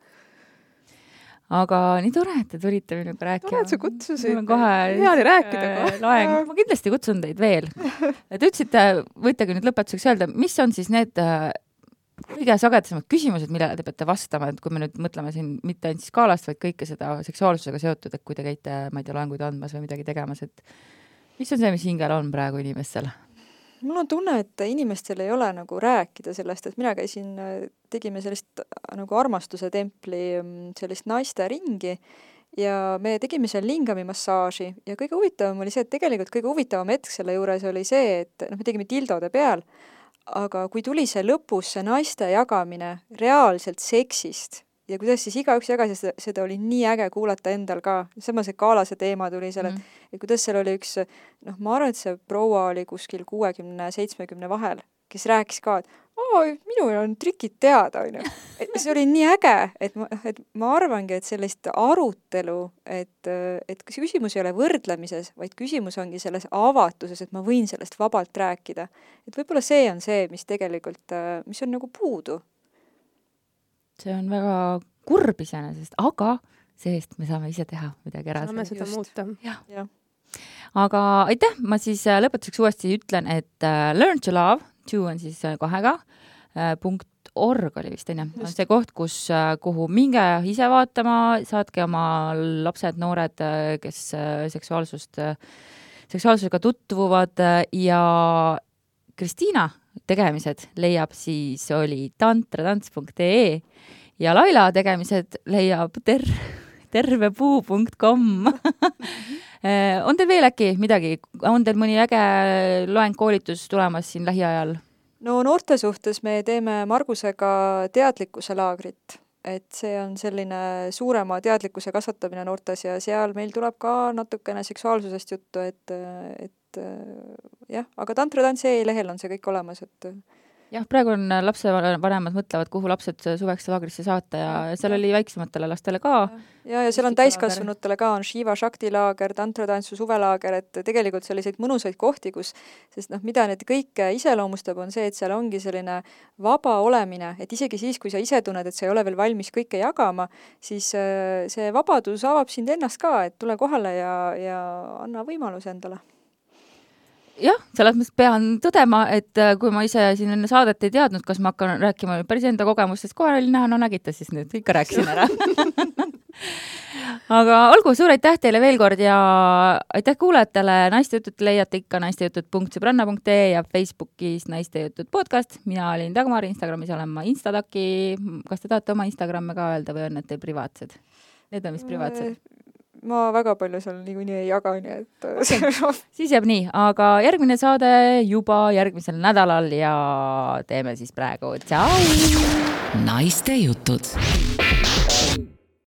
[SPEAKER 2] Aga nii tore, et te tulite minuga rääkima.
[SPEAKER 4] Tore, et sa kutsusid.
[SPEAKER 2] Mul on kohe
[SPEAKER 4] hea oli rääkida kohe.
[SPEAKER 2] Laeng. Ma kindlasti kutsun teid veel. Te ütlesite, võitegi nüüd lõpetuseks öelda, mis on siis need kõige sagedasemad küsimused, millele te peate vastama, et kui me nüüd mõtleme siin mitte ainult skaalast, vaid kõike seda seksuaalsusega seotud, et kui te käite, ma ei tea, loenguid andmas või midagi tegemas, et mis on see, mis hingel on praegu inimestel?
[SPEAKER 3] Mul on tunne, et inimestel ei ole nagu rääkida sellest, et mina käisin, tegime sellist nagu armastuse templi sellist naiste ringi ja me tegime seal lingami massaaži ja kõige huvitavam oli see, et tegelikult kõige huvitavam hetk selle juures oli see, et noh, me tegime dildode peal, aga kui tuli see lõpus see naiste jagamine reaalselt seksist ja kuidas siis igaüks jagas ja seda, seda oli nii äge kuulata endal ka. Sama see kaalase teema tuli seal, et, mm. et kuidas seal oli üks, noh, ma arvan, et see proua oli kuskil kuuekümne seitsmekümne vahel, kes rääkis ka, et oo, minul on trikid teada, on ju. See oli nii äge, et ma, et ma arvangi, et sellist arutelu, et, et küsimus ei ole võrdlemises, vaid küsimus ongi selles avatuses, et ma võin sellest vabalt rääkida. Et võib-olla see on see, mis tegelikult, mis on nagu puudu.
[SPEAKER 2] See on väga kurb iseenesest, aga see-eest me saame ise teha midagi ära.
[SPEAKER 4] Saame seda muuta.
[SPEAKER 2] Ja. Ja. Aga aitäh, ma siis lõpetuseks uuesti ütlen, et uh, Learn to Love, two on siis kahega, uh, punkt org oli vist, on see koht, kus, uh, kuhu minge ise vaatama, saatke oma lapsed, noored, uh, kes uh, seksuaalsust, uh, seksuaalsusega tutvuvad uh, ja Kristiina tegemised leiab siis oli tantratants punkt ee ja Laila tegemised leiab ter- tervepuu punkt com. On teil veel äkki midagi? On teil mõni äge loeng koolitus tulemas siin lähiajal?
[SPEAKER 3] No noorte suhtes me teeme Margusega teadlikkuse laagrit, et see on selline suurema teadlikkuse kasvatamine noortes ja seal meil tuleb ka natukene seksuaalsusest juttu, et, et jah, aga tantratants.ee lehel on see kõik olemas, et
[SPEAKER 2] jah, praegu on lapsevanemad mõtlevad, kuhu lapsed suveks laagrisse saata ja seal oli väiksematele lastele ka.
[SPEAKER 3] Ja, ja seal on täiskasvanutele ka, on Shiva Shakti laager, tantratantsu suvelaager, et tegelikult selliseid mõnusaid kohti, kus, sest noh, mida need kõik iseloomustab, on see, et seal ongi selline vaba olemine, et isegi siis, kui sa ise tunned, et sa ei ole veel valmis kõike jagama, siis see vabadus avab sind ennast ka, et tule kohale ja, ja anna võimalus endale.
[SPEAKER 2] Jah, selles mõttes pean tõdema, et kui ma ise siin enne saadet ei teadnud, kas ma hakkan rääkima päris enda kogemustest, kohe oli näha, no nägite siis nüüd, ikka rääkisin ära. Aga olgu, suur aitäh teile veel kord ja aitäh kuulajatele. Naistejutud leiate ikka naistejutud punkt sõbranna punkt ee ja Facebookis naistejutud podcast. Mina olin Dagmar, Instagramis olen ma Instadaki. Kas te tahate oma Instagramme ka öelda või on need teil privaatsed? Need on vist privaatsed.
[SPEAKER 3] Ma väga palju seal niikuinii ei jaga, nii et
[SPEAKER 2] okay. Siis jääb nii, aga järgmine saade juba järgmisel nädalal ja teeme siis praegu. Tšau!
[SPEAKER 1] Naiste jutud.